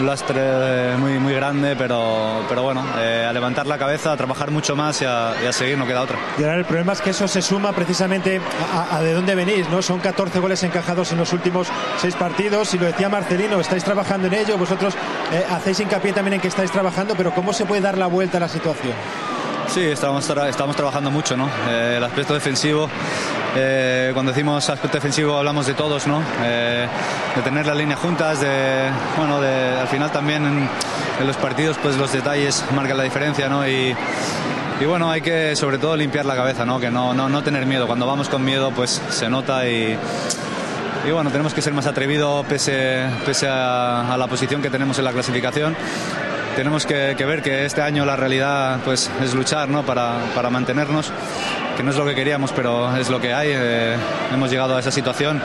lastre muy grande, pero bueno, a levantar la cabeza, a trabajar mucho más y a seguir, no queda otra. Y ahora el problema es que eso se suma precisamente a de dónde venís, ¿no? Son 14 goles encajados en los últimos 6 partidos, y lo decía Marcelino, estáis trabajando en ello, vosotros hacéis hincapié también en que estáis trabajando, pero ¿cómo se puede dar la vuelta a la situación? Sí, estamos trabajando mucho, ¿no? El aspecto defensivo, cuando decimos aspecto defensivo hablamos de todos, ¿no? De tener las líneas juntas, al final también en los partidos pues los detalles marcan la diferencia, ¿no? Y bueno, hay que sobre todo limpiar la cabeza, ¿no? Que no tener miedo. Cuando vamos con miedo pues se nota y bueno, tenemos que ser más atrevidos pese a la posición que tenemos en la clasificación. Tenemos que ver que este año la realidad pues es luchar, ¿no? para mantenernos, que no es lo que queríamos, pero es lo que hay. Hemos llegado a esa situación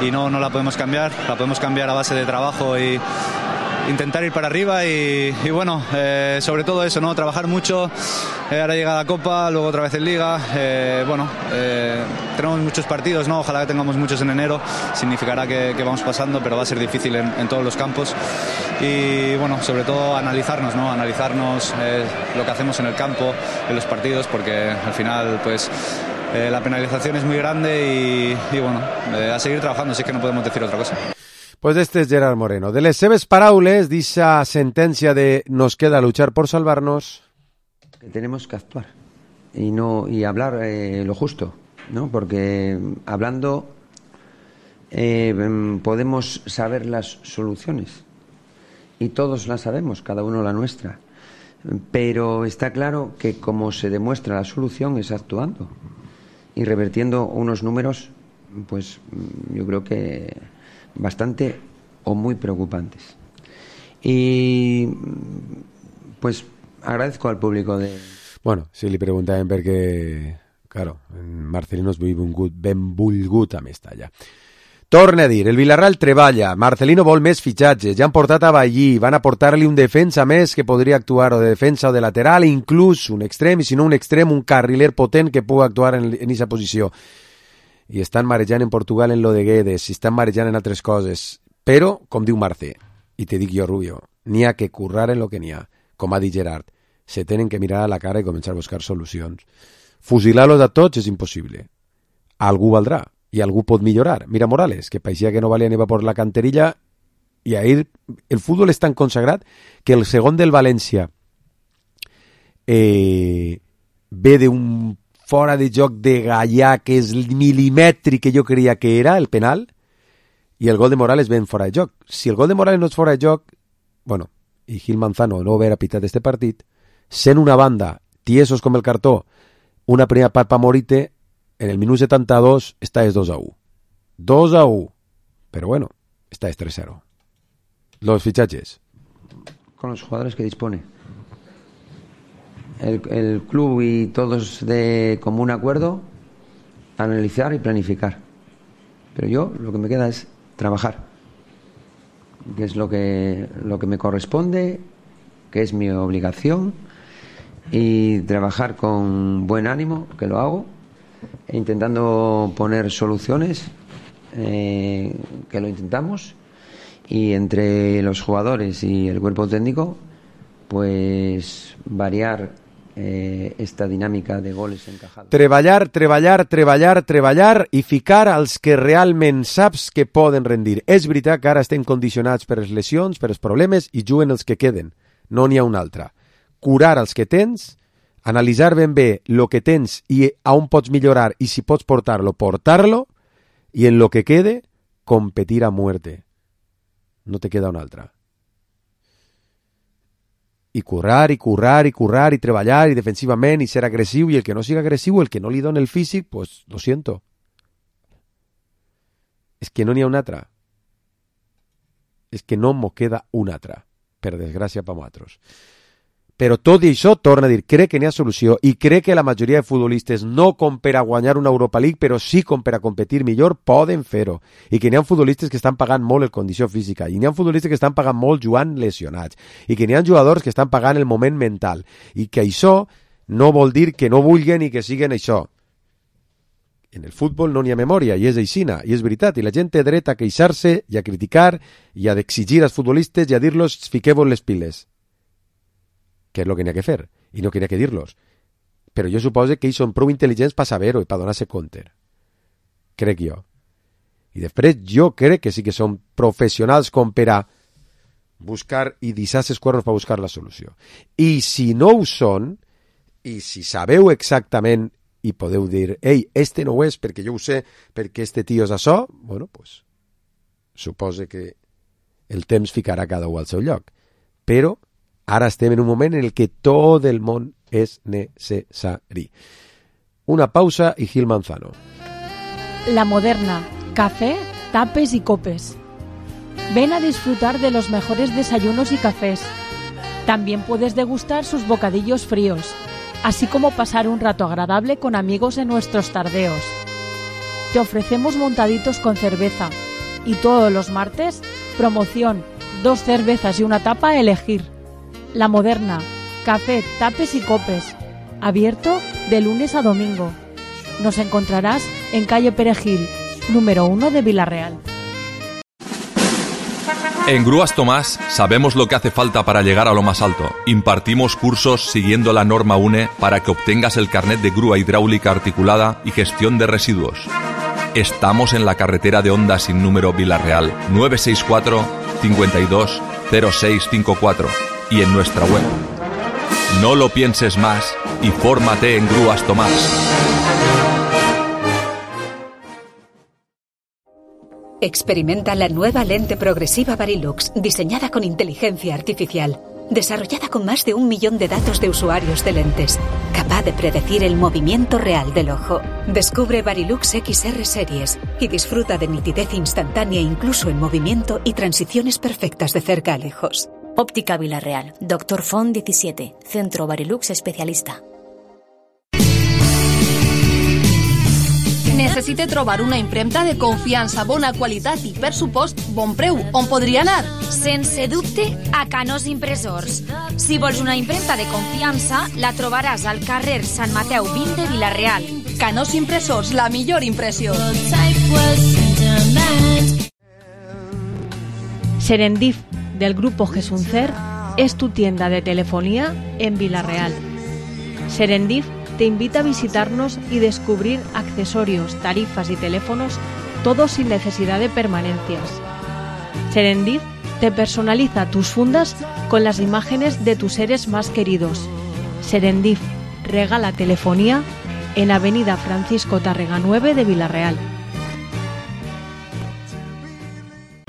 y no la podemos cambiar. La podemos cambiar a base de trabajo y intentar ir para arriba y bueno, sobre todo eso, ¿no? Trabajar mucho. Ahora llega la Copa, luego otra vez en Liga. Tenemos muchos partidos, ¿no? Ojalá que tengamos muchos en enero. Significará que vamos pasando, pero va a ser difícil en todos los campos. Y bueno, sobre todo analizarnos, ¿no? Analizarnos lo que hacemos en el campo, en los partidos, porque al final, pues la penalización es muy grande y bueno, a seguir trabajando, así que no podemos decir otra cosa. Pues este es Gerard Moreno. De les seves paraules, d'esa sentència de nos queda luchar por salvarnos. Que tenemos que actuar y hablar lo justo, ¿no? Porque hablando podemos saber las soluciones y todos las sabemos, cada uno la nuestra. Pero está claro que como se demuestra la solución es actuando y revertiendo unos números, pues yo creo que bastante o muy preocupantes. Y pues agradezco al público de... Bueno, si li preguntàvem perquè, claro, Marcelino és benvolgut a Mestalla. Torna a dir, el Villarreal treballa, Marcelino vol més fitxatges, ja han portat a Ballí, van a portar-li un defensa més que podria actuar o de defensa o de lateral, inclús un extrem, i si no un extrem, un carriler potent que pugui actuar en aquesta posició. I estan marejant en Portugal en lo de Guedes, i estan marejant en altres coses. Però, com diu Marce, i te dic jo, Rubio, n'hi ha que currar en lo que n'hi ha. Com ha dit Gerard, se tenen que mirar a la cara i començar a buscar solucions. Fusilar-los a tots és impossible. Algú valdrà, i algú pot millorar. Mira Morales, que parecía que no valía ni va por la canterilla, i ahir el futbol és tan consagrat que el segon del València ve d'un fora de joc de Gallà que és el milimètric que jo creia que era, el penal, i el gol de Morales ven fora de joc. Si el gol de Morales no és fora de joc, bueno, i Gil Manzano no haver pitat este partit, sent una banda, tiesos com el cartó, una primera part pa Morite, en el minut 72 està es 2-1. 2-1. Pero bueno, está es 3-0. Los fichajes. Con los jugadores que dispone. El club y todos de común acuerdo, analizar y planificar. Pero yo lo que me queda es trabajar, que es lo que me corresponde, que es mi obligación, y trabajar con buen ánimo, que lo hago, e intentando poner soluciones, que lo intentamos, y entre los jugadores y el cuerpo técnico, pues variar esta dinàmica de goles encajados. Treballar i ficar als que realment saps que poden rendir. És veritat que ara estem condicionats per les lesions, per els problemes, i juguen els que queden. No n'hi ha un altre. Curar els que tens, analitzar ben bé el que tens i a on pots millorar i si pots portar-lo, i en lo que quede, competir a muerte. No te queda un altre. I currar, i treballar, i defensivament, i ser agressiu, i el que no siga agressiu, el que no li doni el físic, pues lo siento. És que no n'hi ha un altre. És que no m'ho queda un altre, per desgràcia per nosaltres. Però tot i això, torna a dir, crec que n'hi ha solució, i crec que la majoria de futbolistes, no com per a guanyar una Europa League, però sí com per a competir millor, poden fer-ho. I que n'hi ha futbolistes que estan pagant molt en condició física, i n'hi ha futbolistes que estan pagant molt jugant lesionats, i que n'hi ha jugadors que estan pagant el moment mental, i que això no vol dir que no vulguen i que siguen això. en el futbol no n'hi ha memòria, i és aixina, i és veritat, i la gent té dret a queixar-se i a criticar i a exigir als futbolistes i a dir-los fiqueu-vos les piles, que és el que n'hi ha que fer, i no que n'hi ha que dir-los. Però jo suposo que ells són prou intel·ligents per saber-ho i per donar-se compte. Crec jo. I després jo crec que sí que són professionals com per a buscar i deixar-se els cuernos per buscar la solució. I si no ho són, i si sabeu exactament i podeu dir, ei, este no ho és perquè jo ho sé, perquè este tio és això, bueno, pues, suposo que el temps ficarà cada un al seu lloc. Però ara estem en un moment en el que tot el món és necessari. Una pausa i Gil Manzano. La Moderna, café, tapes y copes. Ven a disfrutar de los mejores desayunos y cafés. También puedes degustar sus bocadillos fríos, así como pasar un rato agradable con amigos en nuestros tardeos. Te ofrecemos montaditos con cerveza y todos los martes, promoción, 2 cervezas y una tapa a elegir. La Moderna, café, tapes y copes. Abierto de lunes a domingo. Nos encontrarás en calle Perejil, número 1 de Villarreal. En Grúas Tomás sabemos lo que hace falta para llegar a lo más alto. Impartimos cursos siguiendo la norma UNE para que obtengas el carnet de grúa hidráulica articulada y gestión de residuos. Estamos en la carretera de Honda sin número Villarreal, 964 52 0654 y en nuestra web. No lo pienses más y fórmate en Grúas Tomás. Experimenta la nueva lente progresiva Varilux, diseñada con inteligencia artificial, desarrollada con más de 1 millón de datos de usuarios de lentes, capaz de predecir el movimiento real del ojo. Descubre Varilux XR Series y disfruta de nitidez instantánea incluso en movimiento y transiciones perfectas de cerca a lejos. Óptica Villarreal, Dr. Font 17, Centro Varilux Especialista. Necessite trobar una impremta de confiança, bona qualitat i, per supost, bon preu. On podria anar? Sense dubte, a Canós Impressors. Si vols una impremta de confiança, la trobaràs al carrer Sant Mateu 20 de Vila-real. Canós Impressors, la millor impressió. Serendip, del grupo Gesuncer, es tu tienda de telefonía en Vila-real. Serendip te invita a visitarnos y descubrir accesorios, tarifas y teléfonos, todo sin necesidad de permanencias. Serendip te personaliza tus fundas con las imágenes de tus seres más queridos. Serendip regala telefonía en Avenida Francisco Tárrega 9 de Vila-real.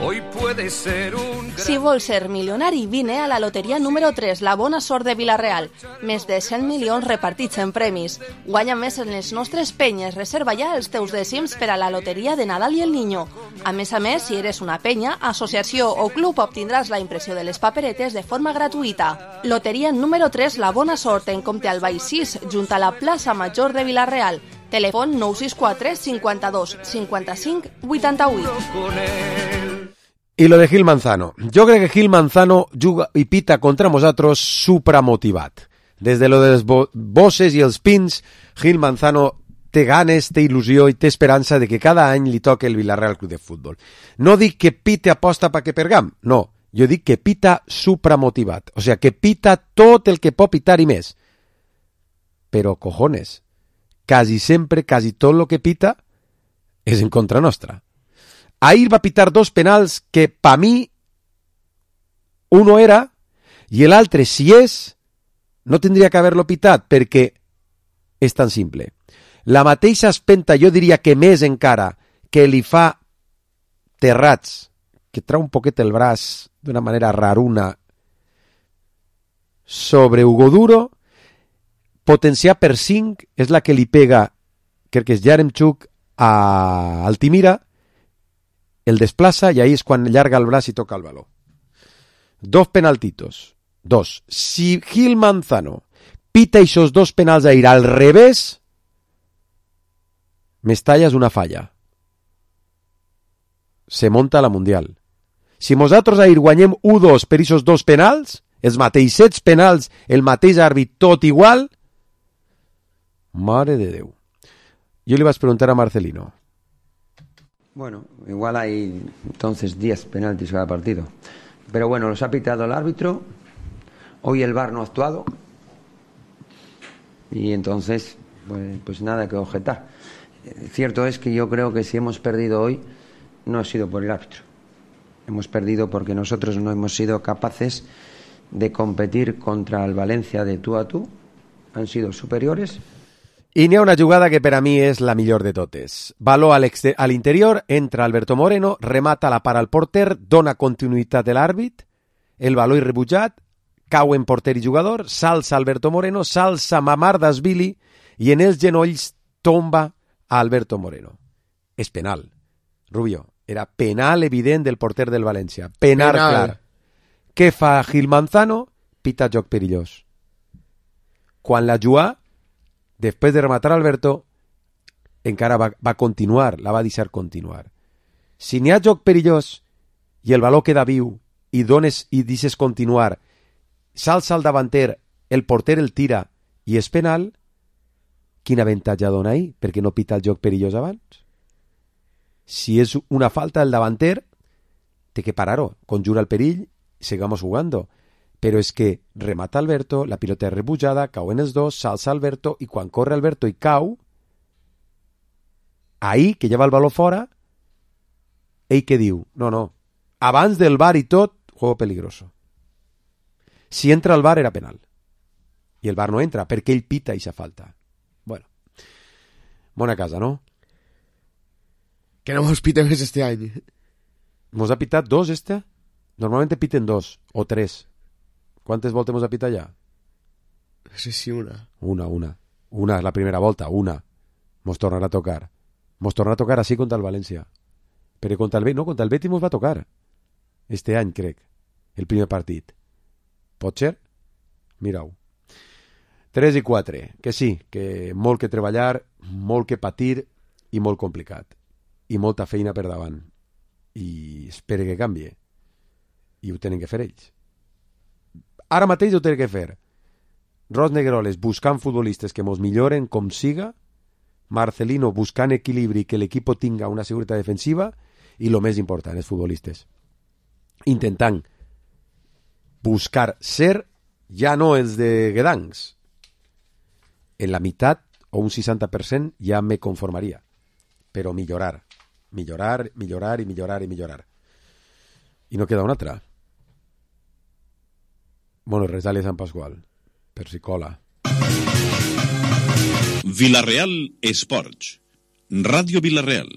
Hoy puede ser Si vols ser milionari, vine a la loteria número 3, la bona sort de Vila-real. Més de 100 milions repartits en premis. Guanya més en les nostres penyes. Reserva ja els teus dècims per a la loteria de Nadal i el Niño. A més, si eres una penya, associació o club, obtindràs la impressió de les paperetes de forma gratuïta. Loteria número 3, la bona sort, en Comte Albay 6, junt a la plaça Major de Vila-real. Telèfon 964 52 55 88. Y lo de Gil Manzano. Yo creo que Gil Manzano juga y pita contra nosotros supramotivat. Desde lo de les bosses i els pins, Gil Manzano té ganes, té il·lusió i té esperança de que cada any li toque el Villarreal Club de Futbol. No dic que pite aposta perquè pergam, no. Jo dic que pita supramotivat. O sea, que pita tot el que pot pitar i més. Però, cojones, quasi sempre, quasi tot lo que pita és en contra nostra. Ahir va pitar 2 penals que, pa mi, uno era i l'altre, si és, no tindria que haver-lo pitat, perquè és tan simple. La mateixa espenta, jo diria que més encara, que li fa Terrats, que trau un poquet el braç d'una manera raruna sobre Hugo Duro, potenciar per 5 és la que li pega, crec que és Yaremchuk, a Altimira, el desplaça i ahí és quan llarga el braç i toca el baló. 2 penaltitos. 2. Si Gil Manzano pita esos 2 penals ahir al revés, Mestalla és una falla. Se monta la Mundial. Si nosaltres ahir guanyem 1-2 per esos 2 penals, els mateixets penals, el mateix àrbit, tot igual, mare de Déu. Yo le ibas a preguntar a Marcelino. Bueno, igual hay entonces 10 penaltis cada partido. Pero bueno, los ha pitado el árbitro. Hoy el VAR no ha actuado. Y entonces, pues nada que objetar. Cierto es que yo creo que si hemos perdido hoy, no ha sido por el árbitro. Hemos perdido porque nosotros no hemos sido capaces de competir contra el Valencia de tú a tú. Han sido superiores. I n'hi ha una jugada que per a mi és la millor de totes. Baló a l'interior, entra Alberto Moreno, remata la para al porter, dona continuïtat a l'àrbit, el baló irrebutjat, cau en porter i jugador, s'alça Alberto Moreno, s'alça Mamardashvili i en els genolls tomba a Alberto Moreno. És penal. Rubio, era penal evident del porter del València. Penal clar. Què fa Gil Manzano? Pita joc perillós. Quan la jugà, després de rematar Alberto, encara va continuar, la va deixar continuar. Si n'hi ha joc perillós i el baló queda viu i deixes continuar, s'alça el davanter, el porter el tira i és penal, quin avantatge dona ahí? Perquè no pita el joc perillós abans? Si és una falta del davanter, té que parar-ho, conjura el perill i sigamos jugando. Però és que remata Alberto, la pilota és rebutjada, cau en els dos, s'alça Alberto, i quan corre Alberto i cau, ahí, que lleva el baló fora, ell què diu? No, abans del VAR i tot, juego peligroso. Si entra el VAR era penal. I el VAR no entra, perquè ell pita i fa falta. Bueno, bona casa, ¿no? Que no mos piten més este any. Mos ha pitat 2, este? Normalmente piten 2 o 3. ¿Quantes voltes hemos a pitar ja? No sé si una. Una és la primera volta, una. Mos tornarà a tocar. Mos tornarà a tocar així contra el València. Però contra el Betis mos va tocar. Este any, crec. El primer partit. Pot ser? Mira-ho. 3 i 4. Que sí, que molt que treballar, molt que patir i molt complicat. I molta feina per davant. I espere que canvie. I ho tenen que fer ells. Ara mateix ho té que fer. Ros Negroles buscant futbolistes que mos milloren com siga, Marcelino buscant equilibri que l'equip tinga una seguretat defensiva i el més important, els futbolistes. Intentant buscar ser ja no els de Guedancs. En la meitat o un 60% ja me conformaria. Però millorar. Millorar. I no queda una altra. Bueno, resale Sant Pasqual, per si cola. Vilareal Esports. Ràdio Vilareal.